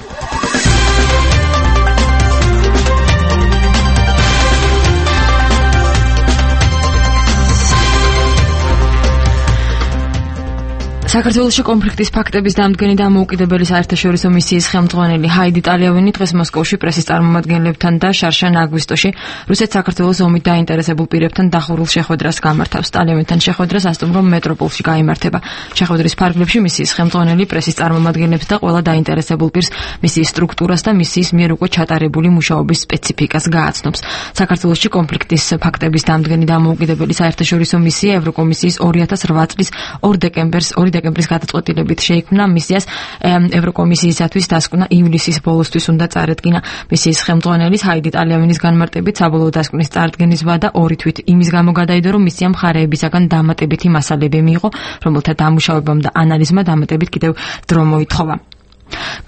საქართველოში კონფლიქტის ფაქტების დამდგენი და მოუკიდებელი საერთაშორისო მისიის ხელმძღვანელი ჰაიდი ტალიავინი დღეს მოსკოვში პრესის წარმომადგენლებთან და შარშან აგვისტოში რუსეთ საქართველოს ომით დაინტერესებულ პირებთან დახურულ შეხვედრას გამართავს. ტალიავინთან შეხვედრა სასტუმრო მეტროპოლში გაიმართება. შეხვედრის ფარგლებში მისიის ხელმძღვანელი პრესის წარმომადგენლებს და ყველა დაინტერესებულ პირს მისიის სტრუქტურას და მისიის მიერ უკვე ჩატარებული მუშაობის სპეციფიკას გააცნობს. საქართველოში კონფლიქტის ფაქტების დამდგენი და მოუკიდებელი საერთაშორისო მისია ევროკომისიის ორი ათას ოთხ წლის ორ დეკემბერს დეკემბრის გადაწყვეტილებით შეიქმნა. მისიას ევროკომისიისათვის დასკვნა ივლისის ბოლოსთვის უნდა წარედგინა. მისიის ხელმძღვანელის ჰაიდი ტალიავინის განმარტებით საბოლოო დასკვნის წარდგენის ვადა ორი თვით იმის გამო გადაიდო, რომ მისიამ მხარეებისაგან დამატებითი მასალები მიიღო, რომელთა დამუშავებამ და ანალიზმა დამატებით კიდევ დრო მოითხოვა.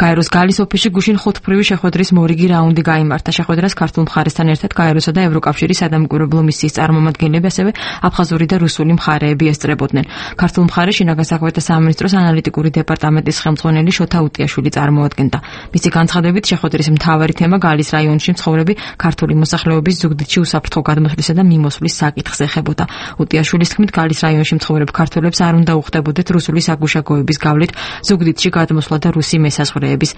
გაეროს გალის ოფისში გუშინ ხუთფრივი შეხვედრის მორიგი რაუნდი გაიმართა. შეხვედრას ქართულ მხარესთან ერთად გაეროსა და ევროკავშირის სადამკვირვებლო მისიის წარმომადგენლები, ასევე აფხაზური და რუსული მხარეები ესწრებოდნენ. ქართულ მხარეს შინაგან საქმეთა სამინისტროს ანალიტიკური დეპარტამენტის ხელმძღვანელი შოთა უტიაშვილი წარმოადგენდა. მისი განცხადებით შეხვედრის მთავარი თემა გალის რაიონში მცხოვრები ქართული მოსახლეობის ზუგდიდში უსაფრთხო გადმოსვლისა და მიმოსვლის საკითხს ეხებოდა. უტიაშვილის თქმით, გალის რაიონში მცხოვრებ ქართველებს არ უნდა უხდებოდეთ რუსული საგუშაგოების გავლით ზუგდიდში გადმოსვლა და რუსი საზღვრების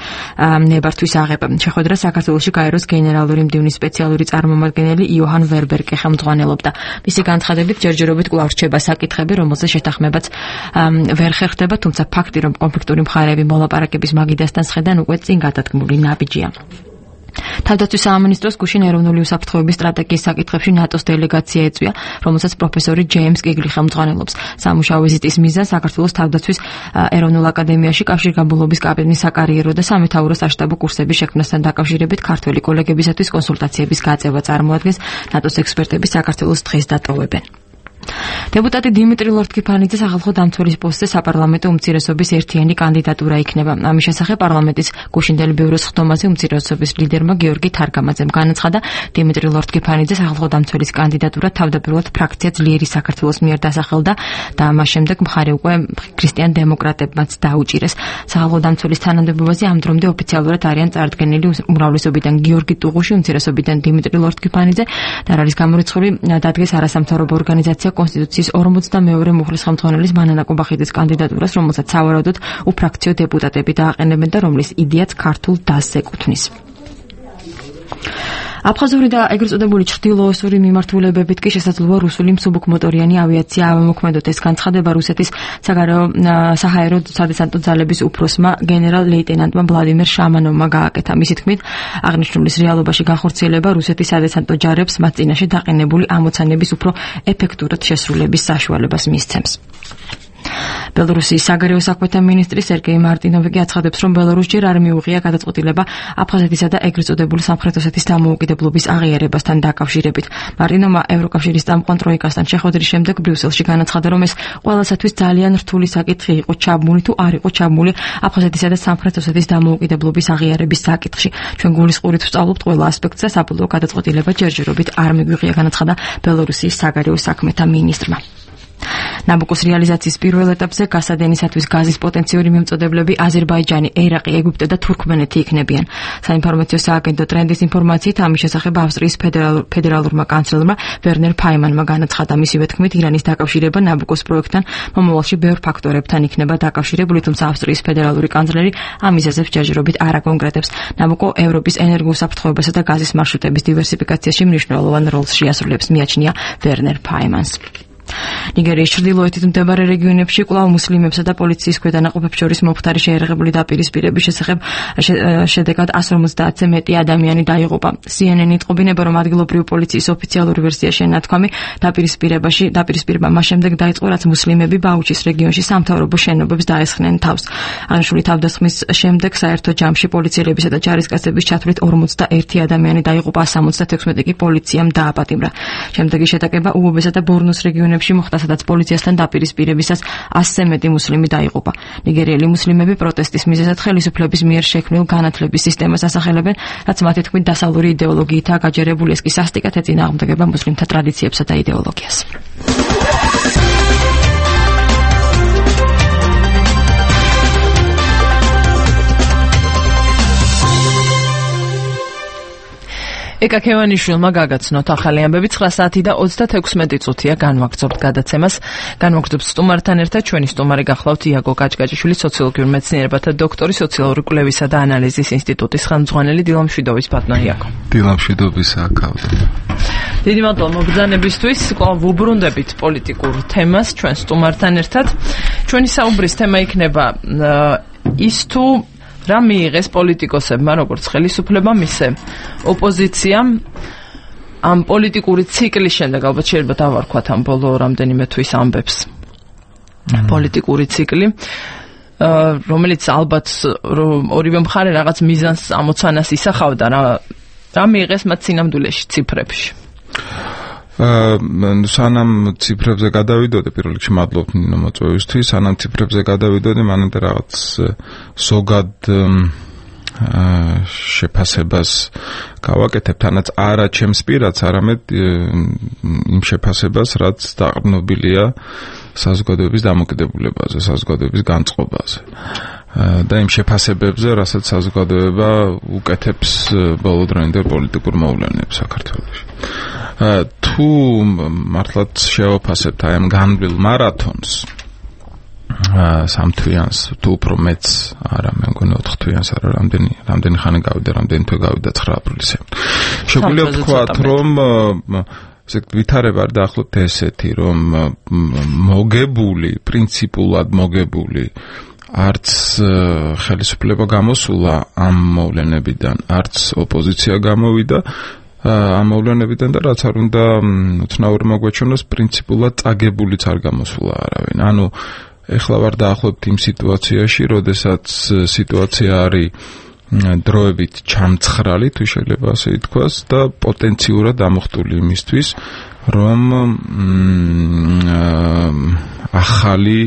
ნებართვის აღება. შეხვედრა საქართველოში გაეროს გენერალური მდივნის სპეციალური წარმომადგენელი იოჰან ვერბერკი ხელმძღვანელობდა. მისი განცხადებით ჯერჯერობით კვლავ რჩება საკითხები, რომელზე შეთანხმებაც ვერ ხერხდება, თუმცა ფაქტი, რომ კონფლიქტური მხარეები მოლაპარაკების მაგიდასთან სხედან უკვე წინ გადადგმული ნაბიჯია. თავდაცვის სამინისტროს გუშინ ეროვნული უსაფრთხოების სტრატეგიის საკითხებში ნატოს დელეგაცია ეწვია, რომელსაც პროფესორი ჯეიმს კიგლი ხელმძღვანელობს. სამუშაო ვიზიტის მიზანი საქართველოს თავდაცვის ეროვნულ აკადემიაში კავშირგაბმულობის კაპიტნის საკარიერო და სამეთაურო საშტაბო კურსების შექმნასთან დაკავშირებით ქართველი კოლეგებისათვის კონსულტაციების გაწევა წარმოადგენს. ნატოს ექსპერტები საქართველოს დღეს დატოვებენ. დეპუტატი დიმიტრი ლორთქიფანიძე სახალხო დამცველის პოსტზე საპარლამენტო უმცირესობის ერთიანი კანდიდატურა იქნება. ამის შესახებ პარლამენტის გუშინდელი ბიუროს ხდომაზე უმცირესობის ლიდერმა გიორგი თარგამაძემ განაცხადა, დიმიტრი ლორთქიფანიძე სახალხო დამცველის კანდიდატურა თავდაპირველად ფრაქცია ძლიერი საქართველოს მიერ დასახელდა და მას შემდეგ მხარე უკვე ქრისტიან დემოკრატებმაც დაუჭირეს. სახალხო დამცველის თანამდებობაზე ამ დრომდე ოფიციალურად არიან წარდგენილი უმრავლესობიდან გიორგი ტუღუში, უმცირესობიდან დიმიტრი ლორთქიფანიძე და არის გამორიცხული დადგეს არასამთავრობო ორგანიზაცია კონსტიტუციის ორმოცდამეორე მუხლის ხელმძღვანელის მანანა კუბახიძის კანდიდატურას, რომელსაც სავარაუდოდ უფრაქციო დეპუტატები დააყენებენ და რომლის იდეაც ქართულ დასს ეკუთვნის. აფხაზური და ეგრეთ წოდებული ჩრდილოოსური მიმართულებებით კი შესაძლოა რუსული მსუბუქმოტორიანი ავიაცია ავამოქმედოთ. ეს განცხადება რუსეთის საგარეო საჰაერო სადესანტო ძალების უფროსმა გენერალ ლეიტენანტმა ვლადიმერ შამანოვმა გააკეთა. მისი თქმით, აღნიშნულის რეალობაში განხორციელება რუსეთის სადესანტო ჯარებს მათ წინაშე დაყენებული ამოცანების უფრო ეფექტურად შესრულების საშუალებას მისცემს.
ბელორუსიის საგარეო საქმეთა მინისტრი სერგეი მარტინოვი აცხადებს, რომ ბელორუსს ჯერ არ მიუღია გადაწყვეტილება აფხაზეთისა და ეგრეთ წოდებული სამხრეთ ოსეთის დამოუკიდებლობის აღიარებასთან დაკავშირებით. მარტინოვმა ევროკავშირის წამყვან ტროიკასთან შეხვედრის შემდეგ ბრიუსელში განაცხადა, რომ ეს ყველასათვის ძალიან რთული საკითხი იყო, ჩაბმული თუ არ იყო ჩაბმული აფხაზეთისა და სამხრეთ ოსეთის დამოუკიდებლობის აღიარების საკითხში. ჩვენ გულისყურით ვსწავლობთ ყველა ასპექტს და საბოლოო გადაწყვეტილება ჯერჯერობით არ მიგვიღია, განაცხადა ბელორუსიის საგარეო საქმეთა მინისტრმა. ნაბუკოს რეალიზაციის პირველ ეტაპზე გასადენისათვის გაზის პოტენციური მიმწოდებლები აზერბაიჯანი, ერაყი, ეგვიპტე და თურქმენეთი იქნებიან. საინფორმაციო სააგენტო ტრენდის ინფორმაციით ამის შესახებ ავსტრიის ფედერალურმა კანცლერმა ვერნერ ფაიმანმა განაცხადა, მისივე თქმით, ირანის დაკავშირება ნაბუკოს პროექტთან მომავალში ბევრ ფაქტორებთან იქნება დაკავშირებული, თუმცა ავსტრიის ფედერალური კანცლერი ამ მიზეზებს ჯერჯერობით არ აკონკრეტებს. ნაბუკო ევროპის ენერგოუსაფრთხოებასა და გაზის მარშრუტების დივერსიფიკაციაში მნიშვნელოვან როლს შეასრულებს, მიაჩნია ვერნერ ფაიმანს. ნიგერიის ჩრდილოეთით მდებარე რეგიონებში კვლავ მუსლიმებსა და პოლიციის ქვედანაყოფებს შორის მომხდარი შეერაღებული დაპირისპირების შესახებ შედეგად εκατს ორმოცდაათზე მეტი ადამიანი დაიღუპა. სი ენ ენი იტყობინება, რომ ადგილობრივი პოლიციის ოფიციალური ვერსია შენათქვამი დაპირისპირებაში დაპირისპირება მას შემდეგ დაიწყო, რაც მუსლიმები ბაუჩის რეგიონში სამთავრობო შენობებს დაესხნენ თავს. აღნიშნული თავდასხმის შემდეგ საერთო ჯამში პოლიციელებისა და ჯარისკაცების ჩათვლით ორმოცდაერთი ადამიანი დაიღუპა, სამოცდათექვსმეტი კი პოლიციამ დააპატიმრა. შემდეგი შეტაკება უბობესა და ბორნოს რეგიონებში მოხდა, სადაც პოლიციასთან დაპირისპირებისას ასზე მეტი მუსლიმი დაიღუპა. ნიგერიელი მუსლიმები პროტესტის მიზეზად ხელისუფლების მიერ შექმნილ განათლების სისტემას ასახელებენ, რაც მათი თქმით დასავლური იდეოლოგიითაა გაჯერებული, ეს კი სასტიკად ეწინააღმდეგება მუსლიმთა ტრადიციებსა და იდეოლოგიას. ეკა ქევანიშვილმა გაგაცნოთ ახალი ამბები. ცხრა საათი და ოცდათექვსმეტი წუთია განვაგრძობთ გადაცემას. განვაგრძობთ სტუმართან ერთად. ჩვენი სტუმარი გახლავთ იაგო გაჭგაჭიშვილი, სოციოლოგიურ მეცნიერებათა დოქტორი, სოციალური კვლევისა და ანალიზის ინსტიტუტის ხელმძღვანელი. დილამშვიდობის ბატონო იაგო.
დილამშვიდობის აკავდე.
დიდი მადლობა მოგზანებისთვის. კვლავ ვუბრუნდებით პოლიტიკურ თემას ჩვენ სტუმართან ერთად. ჩვენი საუბრის თემა იქნება ის თუ რა მიიღეს პოლიტიკოსებმა, როგორც ხელისუფლებამ, ისე ოპოზიციამ ამ პოლიტიკური ციკლის შემდეგ, ალბათ შეიძლება დავარქვათ ამ ბოლო რამდენიმე თვის ამბებს. პოლიტიკური ციკლი, რომელიც ალბათ ორივე მხარე რაღაც მიზანს ამოცანას ისახავდა, რა რა მიიღეს მათ სინამდვილეში ციფრებში.
აა სანამ ციფრებზე გადავიდოდი, პირველ რიგში მადლობთ ნინო მოწვევისთვის, სანამ ციფრებზე გადავიდოდი, მანამდე რაღაც ზოგად შეფასებას გავაკეთებ, თანაც არა ჩემს პირადს, არამედ იმ შეფასებას, რაც დაყრდნობილია საზოგადოების დამოკიდებულებაზე, საზოგადოების განწყობაზე. და იმ შეფასებებზე, რასაც საზოგადოება უკეთებს ბოლოდროინდელ პოლიტიკურ მოვლენებს საქართველოში. თუ მართლაც შევაფასებთ აი ამ განვლილ მარათონს, სამთვიანს, თუ უფრო მეც, არა, მე მგონი ოთხთვიანს, არა, რამდენი რამდენი ხანი გავიდა, რამდენი თვე გავიდა ცხრა აპრილისზე. შეგვიძლია ვთქვათ, რომ ესე ვითარება არ დაახლოებით ესეთი, რომ მოგებული, პრინციპულად მოგებული არც ხელისუფლება გამოსულა ამ მოვლენებიდან, არც ოპოზიცია გამოვიდა ამ მოვლენებიდან და რაც არ უნდა უცნაური მოგვეჩვენოს, პრინციპულად წაგებულიც არ გამოსულა არავინ. ანუ ეხლა ვარ დაახლოებით იმ სიტუაციაში, როდესაც სიტუაცია არის დროებით ჩამცხრალი, თუ შეიძლება ასე ითქვას, და პოტენციურად ამოხტული იმისთვის, რომ ახალი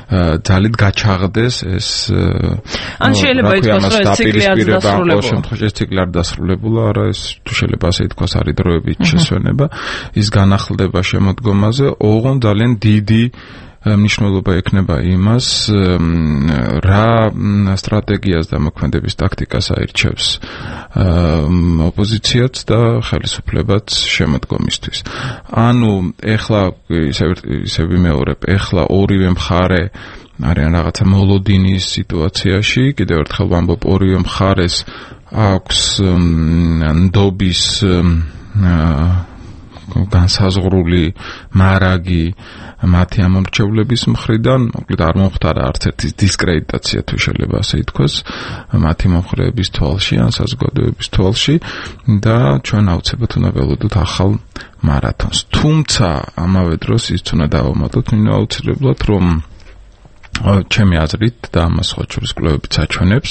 ძალით გაჩაღდეს ეს
ან შეიძლება ითქვას, რომ ეს ციკლი არ დასრულებულა.
ამ შემთხვევაში ეს ციკლი არ დასრულებულა, არა, ეს თუ შეიძლება ასე ითქვას, არის დროებით შესვენება, ის განახლდება შემოდგომაზე, ოღონდ ძალიან დიდი მნიშვნელობა ექნება იმას, რა სტრატეგიას და მოქმედების ტაქტიკას აირჩევს ოპოზიციაც და ხელისუფლებაც შემოდგომისთვის. ანუ ეხლა ისე ვიმეორებ, ეხლა ორივე მხარე არიან რაღაცა მოლოდინის სიტუაციაში, კიდევ ერთხელ ვამბობ, ორივე მხარეს აქვს ნდობის განსაზღვრული მარაგი მათი ამორჩევლების მხრიდან, მოკლედ არ მომხდარა არც ერთი დისკრედიტაცია, თუ შეიძლება ასე ითქვას, მათი მომხრეების თვალში ან საზოგადოების თვალში და ჩვენ აუცილებლად უნდა ველოდოთ ახალ მარათონს. თუმცა ამავე დროს ის უნდა დავამატოთ, ნინო, აუცილებლად, რომ ჩემი აზრით და ამას სხვა შორის კვლევებიც აჩვენებს,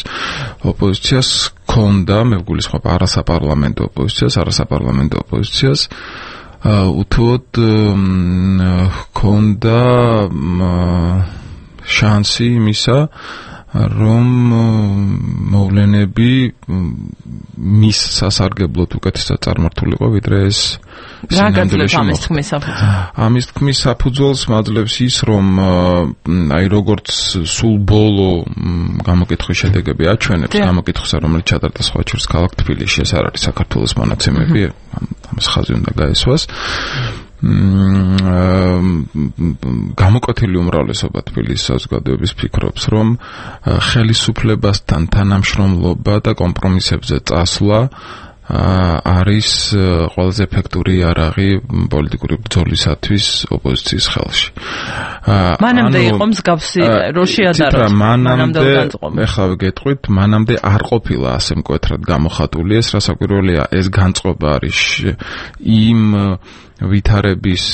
ოპოზიციას ჰქონდა, მე ვგულისხმობ არასაპარლამენტო ოპოზიციას, არასაპარლამენტო ოპოზიციას უთუოდ ჰქონდა შანსი იმისა, რომ მოვლენები მის სასარგებლოდ უკეთესად წარმართულიყო, ვიდრე ეს ამის თქმის საფუძველს მაძლევს ის, რომ აი როგორც სულ ბოლო გამოკითხვის შედეგები აჩვენებს, გამოკითხვისა, რომელიც ჩატარდა სხვა შორის ქალაქ თბილისში, ეს არ არის საქართველოს მონაცემები, ამას ხაზი უნდა გაესვას. გამოკვეთილი უმრავლესობა თბილისის საზოგადოების ფიქრობს, რომ ხელისუფლებასთან თანამშრომლობა და კომპრომისებზე წასვლა არის ყველაზე ეფექტური იარაღი პოლიტიკური ბრძოლისათვის ოპოზიციის ხელში.
მანამდე იყო მსგავსი როშია და რო
მანამდე ეხლა გეტყვით, მანამდე არ ყოფილა ასე მკვეთრად გამოხატული ეს, რასაკვირველია, ეს განწყობა არის იმ ვითარების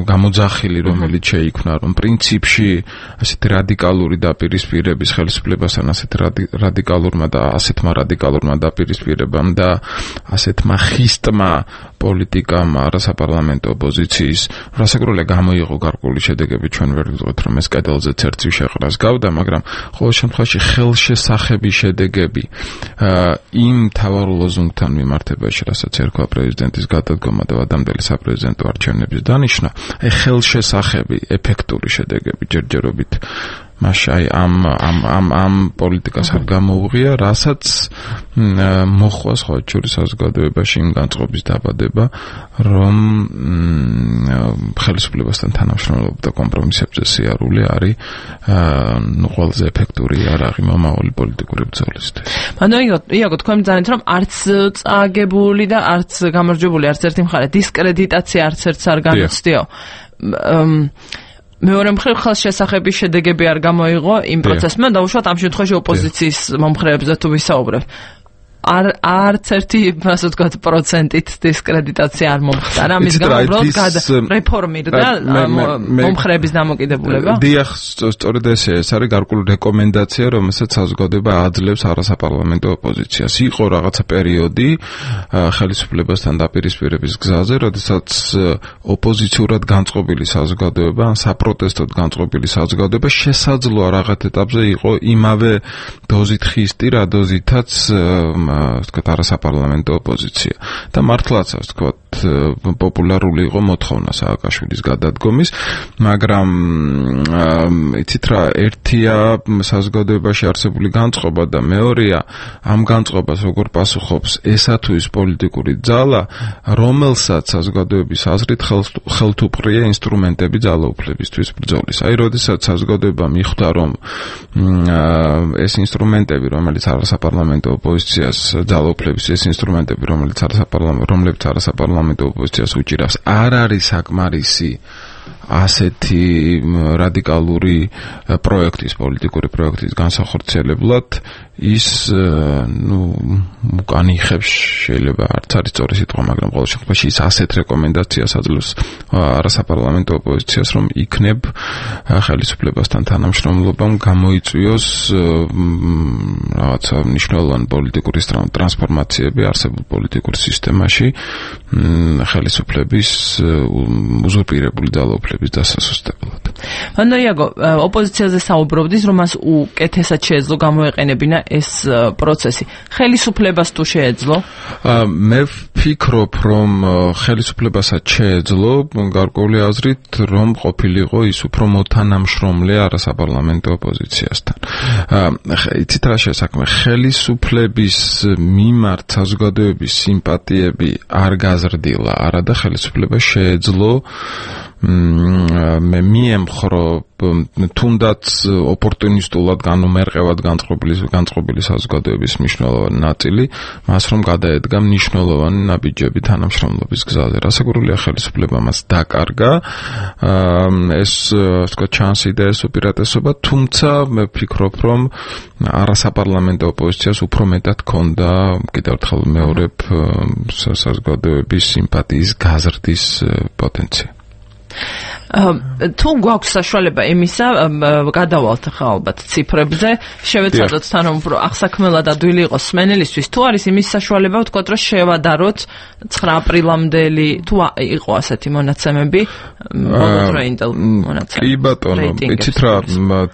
გამოძახილი, რომელიც შეიქმნა, რომ პრინციპში ასეთი რადიკალური დაპირისპირების ხელისუფლებასთან ასეთ რადიკალურმა და ასეთმა რადიკალურმა დაპირისპირებამ და ასეთმა ხისტმა პოლიტიკამ არასაპარლამენტო ოპოზიციის რასაკვირველია გამოიღო გარკვეული შედეგები, ჩვენ ვერ ვიტყვით, რომ ეს კედელზე ცერცივ შეყრას გავდა, მაგრამ ყოველ შემთხვევაში ხელშესახები შედეგები იმ მთავარ ლოზუნგთან მიმართებაში, რასაც ერქვა პრეზიდენტის გადადგომა და ვადამდელი პრეზიდენტო არჩევნების დანიშნა, აი ხელშესახები, ეფექტური შედეგები ჯერჯერობით მაშინ აი ამ ამ ამ ამ პოლიტიკას არ გამოუღია, რასაც მოხვა სხვა შორის საზოგადოებაში იმ განწყობის დაბადება, რომ ხელისუფლებასთან თანამშრომლობა და კომპრომისებზე სიარული არის ნუ ყველაზე ეფექტური იარაღი მომავალი პოლიტიკური ბრძოლისთვის.
ანუ იაგო, თქვენ მძანეთ, რომ არც წაგებული და არც გამარჯვებული არც ერთი მხარე, დისკრედიტაცია არც ერთს არ განიცდიო. მეორე მხრივ ხელშესახების შედეგები არ გამოიღო იმ პროცესმა, დაუშვათ ამ შემთხვევაში ოპოზიციის მომხრეებზე თუ ვისაუბრებ. არ არც ერთი, ასე ვთქვათ, პროცენტით დისკრედიტაცია არ მომხდარა. ამის გამო უბრალოდ რეფორმირდა მომხრეების დამოკიდებულება.
დიახ, სწორედ ესე, ეს არის გარკვეული რეკომენდაცია, რომელსაც საზოგადოება აძლევს არასაპარლამენტო ოპოზიციას. იყო რაღაცა პერიოდი ხელისუფლებასთან დაპირისპირების გზაზე, როდესაც ოპოზიციურად განწყობილი საზოგადოება, ან საპროტესტოდ განწყობილი საზოგადოება შესაძლოა რაღაც ეტაპზე იყო იმავე დოზით ხისტი, რა დოზითაც ვთქვათ არასაპარლამენტო ოპოზიცია. და მართლაც ასე ვთქვათ პოპულარული იყო მოთხოვნა სააკაშვილის გადადგომის, მაგრამ იცით რა, ერთია საზოგადოებაში არსებული განწყობა და მეორეა ამ განწყობას როგორ პასუხობს ესა თუ ის პოლიტიკური ძალა, რომელსაც საზოგადოების აზრით ხელთუპყრია ინსტრუმენტები ძალაუფლებისთვის ბრძოლის. აი, როდესაც საზოგადოება მიხვდა, რომ ეს ინსტრუმენტები, რომელიც არასაპარლამენტო ოპოზიციას ძალაუფლების ეს ინსტრუმენტები, რომელიც არასაპარლამენტო რომლებიც არასაპარლამენტო ოპოზიციას უჭირავს, არ არის საკმარისი ასეთი რადიკალური პროექტის, პოლიტიკური პროექტის განსახორციელებლად, ის ნუ უკან იხებს, შეიძლება არც არის სწორი სიტყვა, მაგრამ ყოველ შემთხვევაში ის ასეთ რეკომენდაციას აძლევს არასაპარლამენტო ოპოზიციას, რომ იქნებ ხელისუფლებასთან თანამშრომლობამ გამოიწვიოს რაღაცა მნიშვნელოვანი პოლიტიკური ტრანსფორმაციები არსებულ პოლიტიკურ სისტემაში ხელისუფლების უზურპირებული ძალაუფლების დასასუსტებლად.
ანუ იაგო, ოპოზიციაზე საუბრობდის, რომ მას უკეთესად შეეძლო გამოეყენებინა ეს პროცესი. ხელისუფლებას თუ შეეძლო?
მე ვფიქრობ, რომ ხელისუფლებასაც შეეძლო, გარკვეული აზრით, რომ ყოფილიყო ის უფრო მოთანამშრომლე არასაპარლამენტო ოპოზიციასთან. იცით რა შესაქმე, ხელისუფლების მიმართ საზოგადოების სიმპათიები არ გაზრდილა, არადა ხელისუფლებას შეეძლო მე მიემხრო თუნდაც ოპორტუნისტულად განუმერყევად განწყობილი განწყობილი საზოგადოების მნიშვნელოვანი ნაწილი, მას რომ გადაედგა მნიშვნელოვანი ნაბიჯები თანამშრომლობის გზაზე. რასაკვირველია, ხელისუფლება მას დაკარგა, ეს ვთქვათ ჩანსი და ეს უპირატესობა, თუმცა მე ვფიქრობ, რომ არასაპარლამენტო ოპოზიციას უფრო მეტად ჰქონდა, კიდევ ერთხელ მეორებ, საზოგადოების სიმპათიის გაზრდის პოტენცია.
თუ გვაქვს საშუალება იმისა, გადავალთ ახლა ალბათ ციფრებზე, შევეცადოთ თან უფრო აღსაქმელად ადვილი იყოს სმენელისთვის, თუ არის იმის საშუალება, ვთქვათ, რომ შევადაროთ ცხრა აპრილამდელი, თუ იყო ასეთი მონაცემები, ბოლო ინტელ მონაცემები.
კი ბატონო, იცით რა,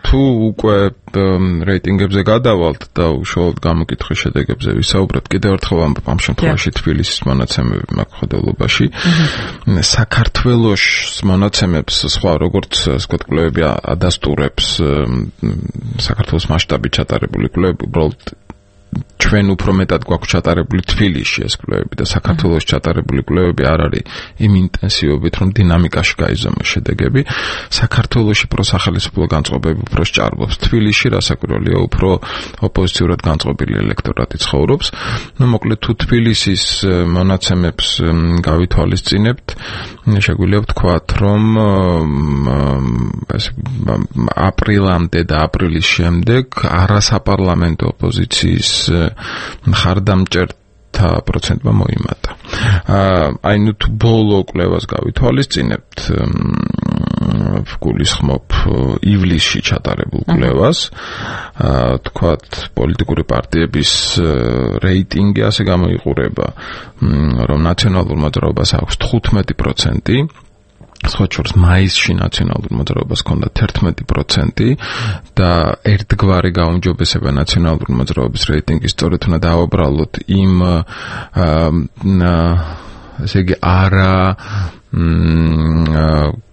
თუ უკვე რეიტინგებზე გადავალთ და უშუალოდ გამოკითხვის შედეგებზე ვისაუბროთ, კიდევ ერთხელ ამ შემთხვევაში თბილისის მონაცემები მაქვს ხედულობაში. საქართველოს მონაცემებს სხვა როგორც ვთქვათ კვლევები ადასტურებს საქართველოს მასშტაბით ჩატარებული კვლევები, უბრალოდ ჩვენ უფრო მეტად გვაქვს ჩატარებული თბილისში ეს კვლევები და საქართველოს ჩატარებული კვლევები არ არის იმ ინტენსივობით, რომ დინამიკაში გაიზომოს შედეგები. საქართველოში პროსახელისუფლო განწყობები უფრო სჭარბობს. თბილისში რასაკვირველია უფრო ოპოზიციურად განწყობილი ელექტორატი ცხოვრობს. ნუ მოკლედ თუ თბილისის მონაცემებს გავითვალისწინებთ, შეგვიძლია ვთქვათ, რომ აპრილამდე და აპრილის შემდეგ არასაპარლამენტო ოპოზიციის მხარდამჭერთა პროცენტმა მოიმატა. აი ნუ თუ ბოლო კვლევას გავითვალისწინებთ, ვგულისხმობ ივლისში ჩატარებულ კვლევას, თქვათ პოლიტიკური პარტიების რეიტინგი ასე გამოიყურება, რომ ნაციონალურ მოძრაობას აქვს თხუთმეტი პროცენტი, სხვა შორის მაისში ნაციონალურ მოძრაობას ჰქონდა თერთმეტი პროცენტი და ერთგვარი გაუმჯობესება ნაციონალურ მოძრაობის რეიტინგის სწორედ უნდა დავაბრალოთ იმ ესე იგი არა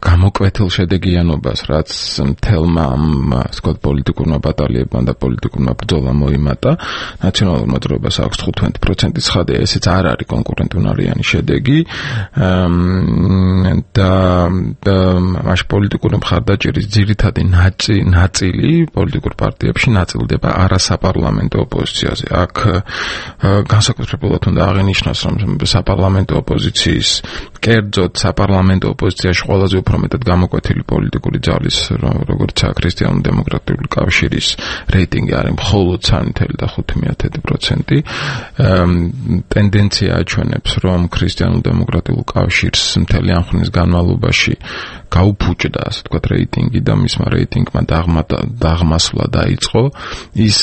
გამოკვეთილ შედეგიანობას, რაც მთელმა ამ ვთქვათ პოლიტიკურმა ბატალიებმა და პოლიტიკურმა ბრძოლამ მოიმატა. ნაციონალურ მოძრაობას აქვს თხუთმეტი პროცენტი ცხადია, ესეც არ არის კონკურენტუნარიანი შედეგი და მაშ პოლიტიკური მხარდაჭერის ძირითადი ნაწილი პოლიტიკურ პარტიებში ნაწილდება არასაპარლამენტო ოპოზიციაზე. აქ განსაკუთრებულად უნდა აღინიშნოს, რომ საპარლამენტო ოპოზიციის კერძოდ საპარლამენტო ოპოზიციაში ყველაზე უფრო მეტად გამოკვეთილი პოლიტიკური ძალის, როგორიცაა ქრისტიანულ-დემოკრატიული კავშირის რეიტინგი არის მხოლოდ სამი და ხუთი პროცენტი. ტენდენცია აჩვენებს, რომ ქრისტიანულ-დემოკრატიულ კავშირს მთელი ამ ხნის განმავლობაში გაუფუჭდა, ასე ვთქვათ, რეიტინგი და მისმა რეიტინგმა დაღმასვლა დაიწყო. ის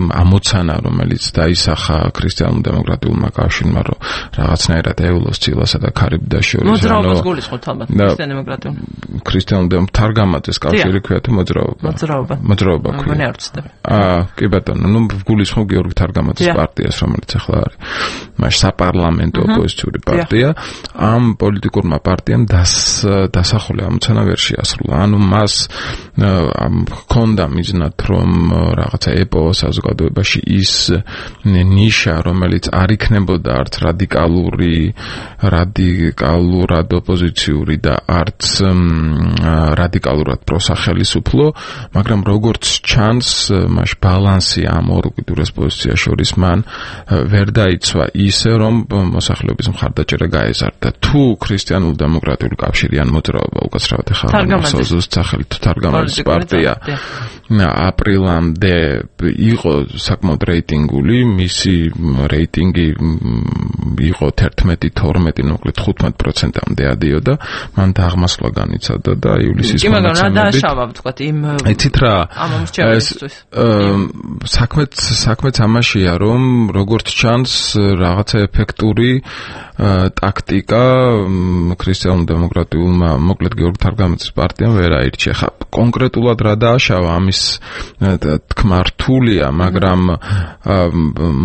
ამოცანა, რომელიც დაისახა ქრისტიანულ-დემოკრატიულმა კავშირმა, რომ რაღაცნაირად ეულოს ცილასა და ქარიბდას შორის
მოძრაობას გულისხმობთ ალბათ ქრისტიანულ-დემოკრატიულ.
ქრისტიანულ-დემოკრატიულ თარგამაძეს კავშირი ქვია თუ მოძრაობა?
მოძრაობა.
მოძრაობა ქვია.
მგონი არ ვცდები.
აა, კი ბატონო, ნუ გულისხმობ გიორგი თარგამაძის პარტიას, რომელიც ახლა არის. მაშ საპარლამენტო ოპოზიციური პარტია. ამ პოლიტიკურმა პარტიამ დასახული ამოცანა ვერ შეასრულა. ანუ მას ჰქონდა მიზნად, რომ რაღაცა ეპოვა საზოგადოებაში ის ნიშა, რომელიც არ იქნებოდა არც რადიკალური, რადიკალურად ოპოზიციური და არც რადიკალურად პროსახელისუფლო, მაგრამ როგორც ჩანს, მას ბალანსი ამ ორ უკიდურეს პოზიციას შორის მან ვერ დაიცვა ისე, რომ მოსახლეობის მხარდაჭერა გაეზარდა. თუ ქრისტიანულ-დემოკრატიული კავშირი ან მოძრაობა უკაცრავად ახლა მოსაზრების სახელით თარგამაძის პარტია აპრილამდე იყო საკმაოდ რეიტინგული, მისი რეიტინგი იყო თერთმეტი თორმეტი, მოკლედ თხუთმეტ პროცენტამდე ადიოდა, მან დაღმასვლა განიცადა და ივლისის
მონაცემებით. კი, მაგრამ რა დააშავა, ვთქვათ, იმ
იცით რა, საქმეც საქმეც ამაშია, რომ როგორც ჩანს, რაღაცა ეფექტური ტაქტიკა ქრისტიანულ-დემოკრატიულმა, მოკლედ გიორგი თარგამაძის პარტიამ ვერ აირჩია. ხა კონკრეტულად რა დააშავა, ამის თქმა რთულია, მაგრამ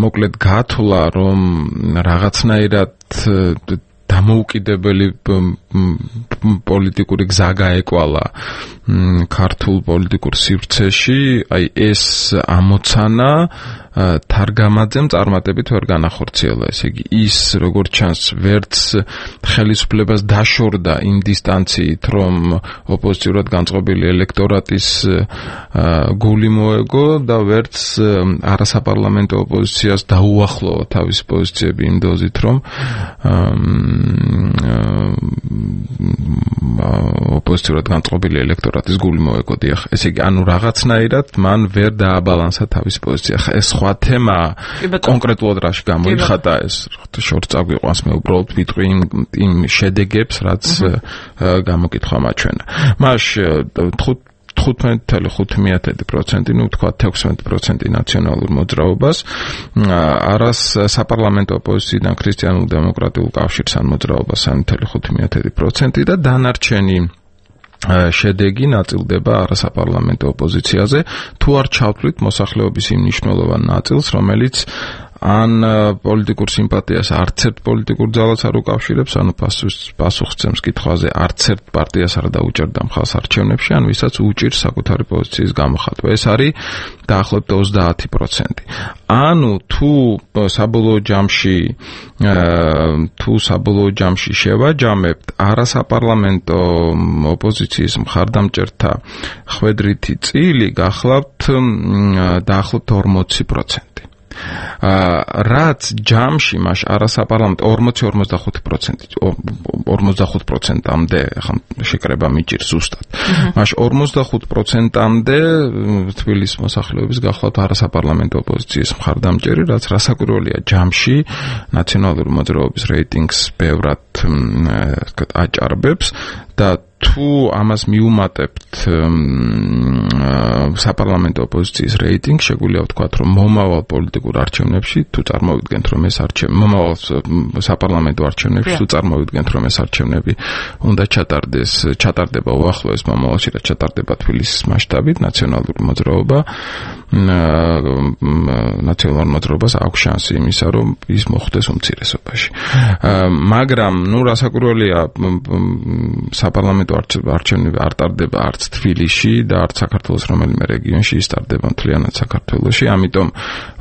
მოკლედ გათვლა, რომ რაღაცნაირად დამოუკიდებელი პოლიტიკური გზა გაეკვალა ქართულ პოლიტიკურ სივრცეში, აი ეს ამოცანა თარგამაძემ წარმატებით ვერ განახორციელა. ესე იგი, ის როგორც ჩანს, ვერც ხელისუფლებას დაშორდა იმ დისტანციით, რომ ოპოზიციურად განწყობილი ელექტორატის გული მოეგო და ვერც არასაპარლამენტო ოპოზიციას დაუახლოვა თავისი პოზიციები იმ დოზით, რომ ოპოზიციურად განწყობილი ელექტორატის გული მოეკოდია. ესე იგი, ანუ რაღაცნაირად მან ვერ დააბალანსა თავის პოზიცია. ეს სხვა თემაა, კონკრეტულად რაში გამოიხატა ეს შორს წაგვიყვანს, მე უბრალოდ ვიტყვი იმ შედეგებს, რაც გამოკითხვა მაჩვენა. მას თხუთმეტ წუთი ხუთი პროცენტი, ну თქვა ექვსმეტ პროცენტი ნაციონალურ მოძრაობას, არას საპარლამენტო ოპოზიციიდან ქრისტიანულ დემოკრატიულ კავშირს ან მოძრაობას სამი წუთი ხუთი პროცენტი და დანარჩენი შედეგი ნაწილდება არასაპარლამენტო ოპოზიციაზე, თუ არ ჩავთვლით მოსახლეობის იმ მნიშვნელოვან ნაწილს, რომელიც ან პოლიტიკურ სიმპათიას არც ერთ პოლიტიკურ ძალას არ უკავშირებს, ანუ პასუხისმცემს კითხვაზე არც ერთ პარტიას არ დაუჭერდა მხარს არჩევნებში, ან ვისაც უჭირს საკუთარი პოზიციის გამოხატვა. ეს არის დაახლოებით ოცდაათი პროცენტი. ანუ თუ საბოლოო ჯამში თუ საბოლოო ჯამში შევაჯამებთ არასაპარლამენტო ოპოზიციის მხარდამჭერთა ხვედრითი წილი, გახლავთ დაახლოებით ორმოცი პროცენტი. რაც ჯამში მას არასაპარლამენტო ორმოცი ორმოცდახუთი პროცენტი ორმოცდახუთ პროცენტამდე ხა შეკრება მიჭირს ზუსტად. მას ორმოცდახუთ პროცენტამდე თბილისის მოსახლეობის გახლავთ არასაპარლამენტო ოპოზიციის მხარდამჭერი, რაც რასაკვირველია ჯამში ნაციონალური მოძრაობის რეიტინგს ბევრად აჭარბებს და თუ ამას მიუმატებთ საპარლამენტო ოპოზიციის რეიტინგს, შეგვიძლია ვთქვათ, რომ მომავალ პოლიტიკურ არჩევნებში, თუ წარმოვიდგენთ, რომ ეს არჩევნები, მომავალ საპარლამენტო არჩევნებში, თუ წარმოვიდგენთ, რომ ეს არჩევნები უნდა ჩატარდეს, ჩატარდება უახლოეს მომავალში, რაც ჩატარდება თბილისის მასშტაბით, ნაციონალური მოძრაობა, ნაციონალურ მოძრაობას აქვს შანსი იმისა, რომ ის მოხვდეს უმცირესობაში. მაგრამ, ну, რასაკვირველია, საპარლამენტო არჩევნები არ ტარდება არც თბილისში და არც საქართველოს რომელიმე რეგიონში, ის ტარდება მთლიანად საქართველოში, ამიტომ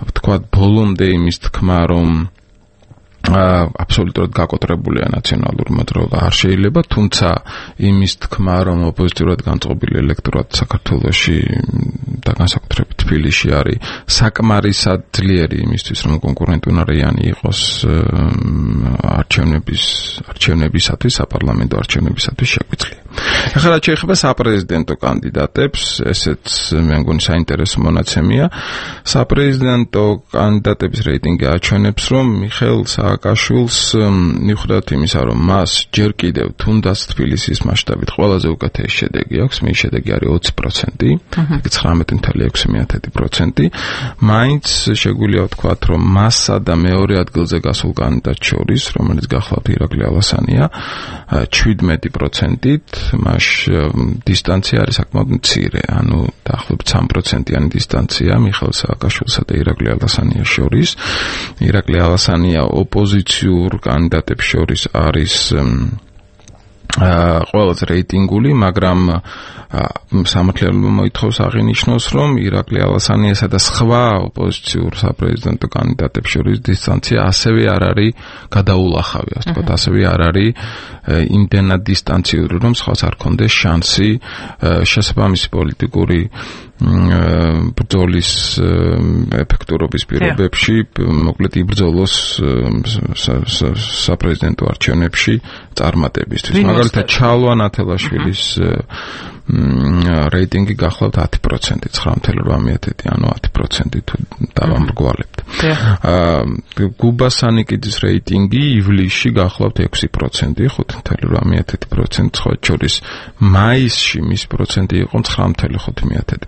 ვთქვათ, ბოლომდე იმის თქმა, რომ აბსოლუტურად გაკოტრებულია ნაციონალური მოძრაობა არ შეიძლება, თუმცა იმის თქმა, რომ ოპოზიციურად განწყობილი ელექტორატი საქართველოში და განსაკუთრებით თბილისში არის საკმარისად ძლიერი იმისთვის, რომ კონკურენტუნარიანი იყოს არჩევნების არჩევნებისათვის, საპარლამენტო არჩევნებისათვის შეგვიძლია. ახლა რაც შეეხება საპრეზიდენტო კანდიდატებს, ესეც მე მგონი საინტერესო მონაცემია. საპრეზიდენტო კანდიდატების რეიტინგი აჩვენებს, რომ მიხეილ სააკაშვილს მიუხედავად იმისა, რომ მას ჯერ კიდევ თუნდაც თბილისის მასშტაბით ყველაზე უკეთესი შედეგი აქვს, მის შედეგი არის ოცი პროცენტი, ცხრამეტი წუთი ექვსი პროცენტი, მაინც შეგვიძლია ვთქვათ, რომ მასსა და მეორე ადგილზე გასულ კანდიდატს შორის, რომელიც გახლავთ ირაკლი ალასანია, შვიდმეტი პროცენტით, მას დისტანცია არის საკმაოდ მცირე, ანუ დაახლოებით სამი პროცენტიანი დისტანცია მიხეილ სააკაშვილსა და ირაკლი ალასანიას შორის. ირაკლი ალასანია ოპოზიციურ კანდიდატებს შორის არის ყველაზე რეიტინგული, მაგრამ სამართლიანობა მოითხოვს აღინიშნოს, რომ ირაკლი ალასანიასა და სხვა ოპოზიციურ საპრეზიდენტო კანდიდატებს შორის დისტანცია ასევე არ არის გადაულახავი, ასე ვთქვათ, ასევე არ არის იმდენად დისტანციური, რომ სხვას არ ქონდეს შანსი შესაბამისი პოლიტიკური ბრძოლის ეფექტურობის პირობებში, მოკლედ იბრძოლოს საპრეზიდენტო არჩევნებში წარმატებისთვის. მაგალითად, ჩალვა ნათელაშვილის რეიტინგი გახლავთ ათი პროცენტი, ცხრა წუთი ოთხ ანუ ათი პროცენტი თუ დავამრგვალებთ. გუბა სანიკიძის რეიტინგი ივლისში გახლავთ ექვსი პროცენტი, ხუთი წუთი ოთხ პროცენტი, სხვა შორის მაისში მის პროცენტი იყო ცხრა წუთი ხუთი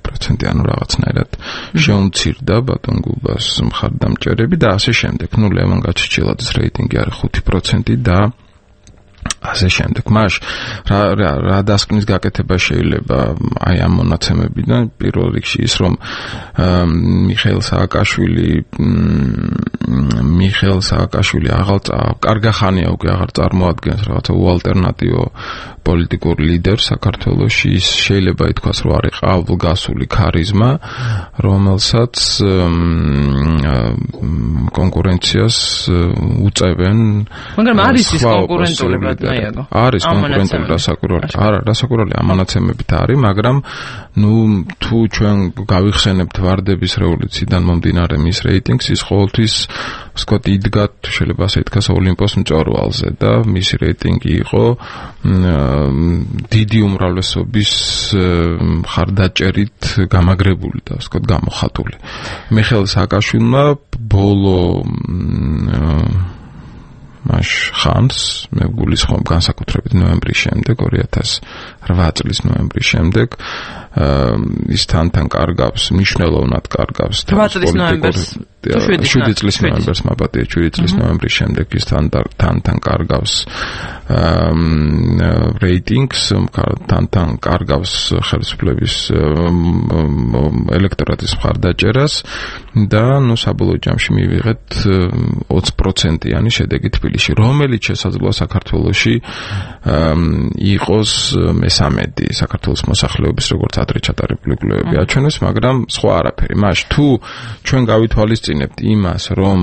პროცენტი, ანუ რაღაცნაირად შეუმცირდა ბატონ გუბას მხარდამჭერები და ასე შემდეგ. ნუ ლევან გაჩეჩილაძის რეიტინგი არის ხუთი პროცენტი და ასე შემდეგ. მას რა რა დასკვნის გაკეთება შეიძლება აი ამ მონაცემებიდან, პირველ რიგში ის, რომ მიხეილ სააკაშვილი მიხეილ სააკაშვილი აღარ კარგახანია უკვე აღარ წარმოადგენს რაღაცა უალტერნატივო პოლიტიკურ ლიდერს საქართველოში, ის შეიძლება ითქვას, რომ არის ყავლგასული ქარიზმა, რომელსაც კონკურენციას უწევენ.
მაგრამ არის ის კონკურენტულება
არის კონკურენტული რასაკვირველი. არა, რასაკვირველი ამონაცემებით არის, მაგრამ ნუ თუ ჩვენ გავიხსენებთ ვარდების რევოლუციიდან მომდინარე მის რეიტინგს, ის ყოველთვის ვთქვათ, იდგა, შეიძლება ასე ითქვას, ოლიმპოს მწვერვალზე და მისი რეიტინგი იყო დიდი უმრავლესობის მხარდაჭერით გამაგრებული და ვთქვათ, გამოხატული. მიხეილ სააკაშვილმა ბოლო მაშ ხანს მე გულისხმობ განსაკუთრებით ნოემბრის შემდეგ ორი ათას რვა წლის ნოემბრის შემდეგ ის თანთან კარგავს მნიშვნელოვნად კარგავს შვიდი წლის ნოემბერს მაბატია შვიდი წლის ნოემბრის შემდეგ ის თანთან კარგავს რეიტინგს თანთან კარგავს ხელისუფლების ელექტორატის მხარდაჭერას და ნუ საბოლოო ჯამში მივიღეთ ოცი პროცენტიანი შედეგი თბილისში, რომელიც შესაძლოა საქართველოში იყოს მესამედი საქართველოს მოსახლეობის როგორც ადრე ჩატარებული კვლევები აჩვენებს, მაგრამ სხვა არაფერი. მაშ თუ ჩვენ გავითვალისწინებთ იმას, რომ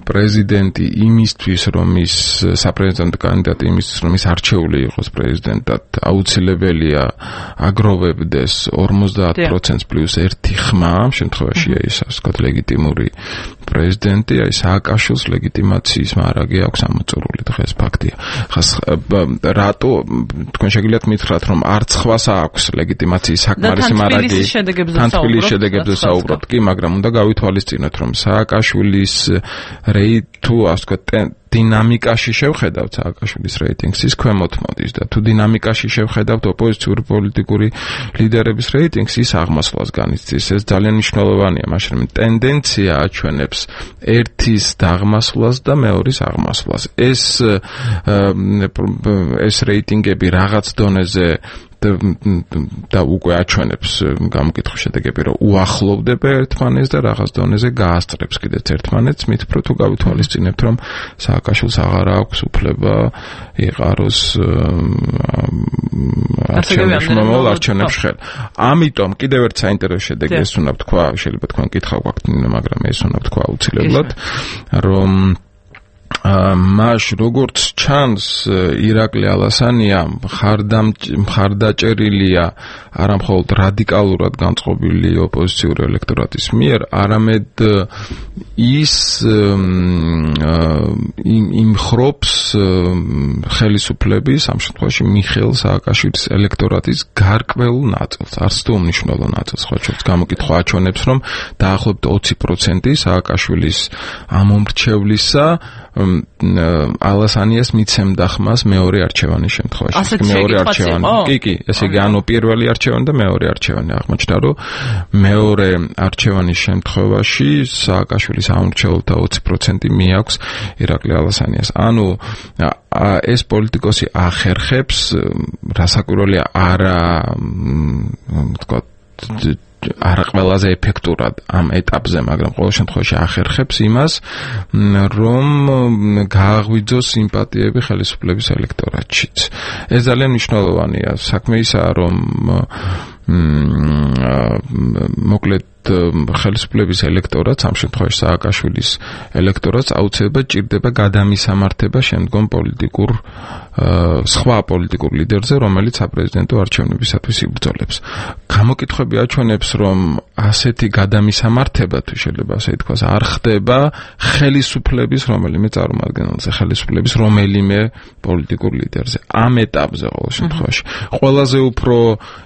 პრეზიდენტი იმისთვის, რომ ის საპრეზიდენტო კანდიდატი იმისთვის, რომ ის არჩეული იყოს პრეზიდენტად, აუცილებელია აგროვებდეს ორმოცდაათ პროცენტს პლუს ერთი ხმა, ამ შემთხვევაში ის ასე ვთქვათ ლეგიტიმური პრეზიდენტი, აი სააკაშვილს ლეგიტიმაციის მარაგი აქვს ამოწურული, დღეს ფაქტია. ხას რატო თქვენ შეგიძლიათ მითხრათ, რომ არც ხვას აქვს ლეგიტიმაციის საკმარისი მარაგი თან თბილისის შედეგებზე საუბრობთ, კი, მაგრამ უნდა გავითვალისწინოთ, რომ სააკაშვილის რეიტინგი თუ ასე ვთქვათ დინამიკაში შევხედავთ სააკაშვილის რეიტინგს, ის ქვემოთ მოდის და თუ დინამიკაში შევხედავთ ოპოზიციური პოლიტიკური ლიდერების რეიტინგს, ის აღმასვლას განიცდის. ეს ძალიან მნიშვნელოვანია, მაშინ რომ ტენდენცია აჩვენებს ერთის დაღმასვლას და მეორის აღმასვლას. ეს ეს რეიტინგები რაღაც დონეზე და უკვე აჩვენებს გამოკითხვის შედეგები, რომ უახლოვდება ერთმანეთს და რაღაც დონეზე გაასწრებს კიდეც ერთმანეთს, მით უფრო თუ გავითვალისწინებთ, რომ სააკაშვილს აღარ აქვს უფლება იყაროს არჩევნებში მომავალ არჩევნებში ხელ. ამიტომ კიდევ ერთ საინტერესო შედეგი ეს უნდა ვთქვა, შეიძლება თქვენ კითხვა გვაქვთ, მაგრამ ეს უნდა ვთქვა აუცილებლად, რომ მაშ როგორც ჩანს ირაკლი ალასანია მხარდაჭერილია არა მხოლოდ რადიკალურად განწყობილი ოპოზიციური ელექტორატის მიერ, არამედ ის იმხრობს ხელისუფლების ამ შემთხვევაში მიხეილ სააკაშვილის ელექტორატის გარკვეულ ნაწილს, არც თუ უმნიშვნელო ნაწილს, ხო ჩვენს გამოკითხვა აჩვენებს, რომ დაახლოებით ოცი პროცენტი სააკაშვილის ამომრჩევლისა ალასანიას მიცემდა ხმას მეორე არჩევანის შემთხვევაში. მეორე არჩევანი. კი, კი, ესე იგი ანუ პირველი არჩევანი და მეორე არჩევანი აღმოჩნდა, რომ მეორე არჩევანის შემთხვევაში სააკაშვილის ამომრჩეველთა ოცი პროცენტი მიაქვს ირაკლი ალასანიას. ანუ ეს პოლიტიკოსი ახერხებს, რასაკვირველია, არა ვთქვათ არა ყველაზე ეფექტურად ამ ეტაპზე, მაგრამ ყოველ შემთხვევაში ახერხებს იმას, რომ გააღვიძოს სიმპათიები ხელისუფლების ელექტორატშიც. ეს ძალიან მნიშვნელოვანია. საქმე ისაა, რომ მოკლედ ხელისუფლების ელექტორატს, ამ შემთხვევაში სააკაშვილის ელექტორატს აუცილებლად ჭირდება გადამისამართება შემდგომ პოლიტიკურ სხვა პოლიტიკურ ლიდერზე, რომელიც საპრეზიდენტო არჩევნებისათვის იბრძოლებს. გამოკითხვები აჩვენებს, რომ ასეთი გადამისამართება, თუ შეიძლება ასე ითქვას, არ ხდება ხელისუფლების რომელიმე წარმომადგენელზე, ხელისუფლების რომელიმე პოლიტიკურ ლიდერზე. ამ ეტაპზე ყოველ შემთხვევაში ყველაზე უფრო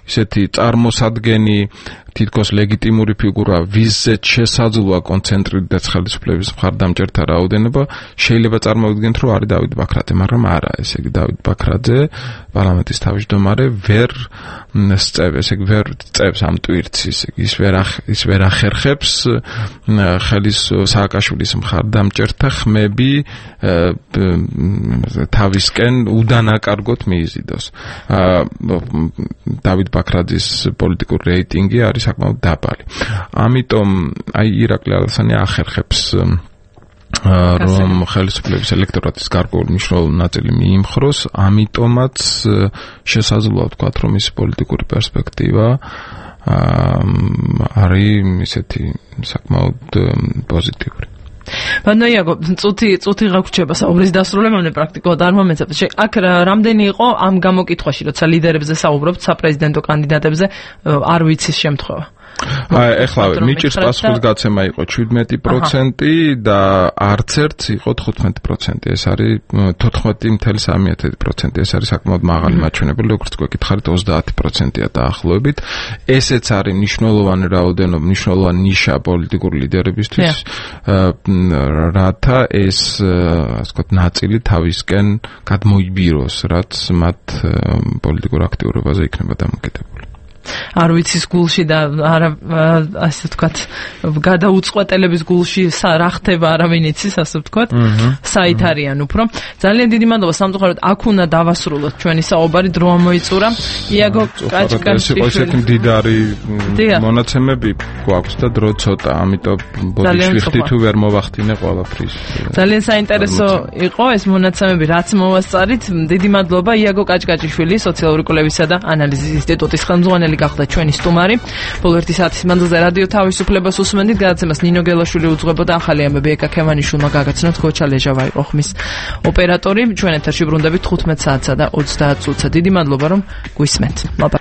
ისეთი წარმოსადგენი თითქოს ლეგიტიმური ფიგურა, ვიზეც შესაძლოა კონცენტრირდეს ხელისუფლების მხარდამჭერთა რაოდენობა, შეიძლება წარმოვიდგენთ, რომ არის დავით ბაქრაძე, მაგრამ არა, ესე იგი დავით ბაქრაძე, პარლამენტის თავმჯდომარე ვერ სწევს, ესე იგი ვერ წევს ამ ტვირთს, ესე იგი ის ვერ ის ვერ ახერხებს ხელის სააკაშვილის მხარდამჭერთა ხმები თავისკენ უდანაკარგოთ მიიზიდოს. დავით ბაქრაძის პოლიტიკური რეიტინგი არის საკმაოდ დაბალი. ამიტომ აი ირაკლი ალასანია ახერხებს რომ ხელისუფლების ელექტორატის გარკვეული მნიშვნელოვანი ნაწილი მიიმხროს, ამიტომაც შესაძლოა ვთქვათ, რომ ის პოლიტიკური პერსპექტივა არის ისეთი საკმაოდ პოზიტიური.
ბანაიაგო წუთი წუთი გაგვრჩება საუბრის დასრულებამდე პრაქტიკულად არ მომეცათ. აქ რამდენი იყო ამ გამოკითხვაში, როცა ლიდერებზე საუბრობთ, საპრეზიდენტო კანდიდატებზე, არ ვიცის შემთხვევა.
აი, ეხლა მიჭირს პასუხის გაცემა იყო შვიდმეტი პროცენტი და არც ერთს იყო თხუთმეტი პროცენტი. ეს არის თოთხმეტი ნული სამი პროცენტი. ეს არის საკმაოდ მაღალი მაჩვენებელი, როგორც გვეკითხარით ოცდაათი პროცენტია დაახლოებით. ესეც არის მნიშვნელოვანი რაოდენობა, მნიშვნელოვანი ნიშა პოლიტიკური ლიდერებისთვის, რათა ეს, ასე ვთქვათ, ნაწილი თავისკენ გადმოიბიროს, რაც მათ პოლიტიკურ აქტიურობაზე იქნება დამოკიდებული.
არ ვიცის გულში და არა ასე ვთქვათ გადაუწყვეტელების გულში რა ხდება არავინ იცის ასე ვთქვათ საით არიან უფრო ძალიან დიდი მადლობა სამწუხაროდ აქ უნდა დავასრულოთ ჩვენი საუბარი დრო მოიწურა იაგო კაჭკაჭი
ესეთი მდიდარი მონაცემები გვაქვს და დრო ცოტა ამიტომ ბოდიში ხდი თუ ვერ მოვახდინე ყველაფრის
ძალიან საინტერესო იყო ეს მონაცემები რაც მოვასწარით დიდი მადლობა იაგო კაჭკაჭიშვილი სოციალური კვლევისა და ანალიზის ინსტიტუტის ხელმძღვანელი გახდა ჩვენი სტუმარი. ბოლო ერთი საათის მანძილზე რადიო თავისუფლებას უსმენდით, გადაცემას ნინო გელაშვილი უძღვებოდა, ახალი ამბები ეკა ქემანიშვილმა გაგაცნოთ, გოჩა ლეჟავა იყო ხმის ოპერატორი. ჩვენ ეთერში ბრუნდებით თხუთმეტ საათსა და ოცდაათ წუთსა. დიდი მადლობა რომ გვისმენთ.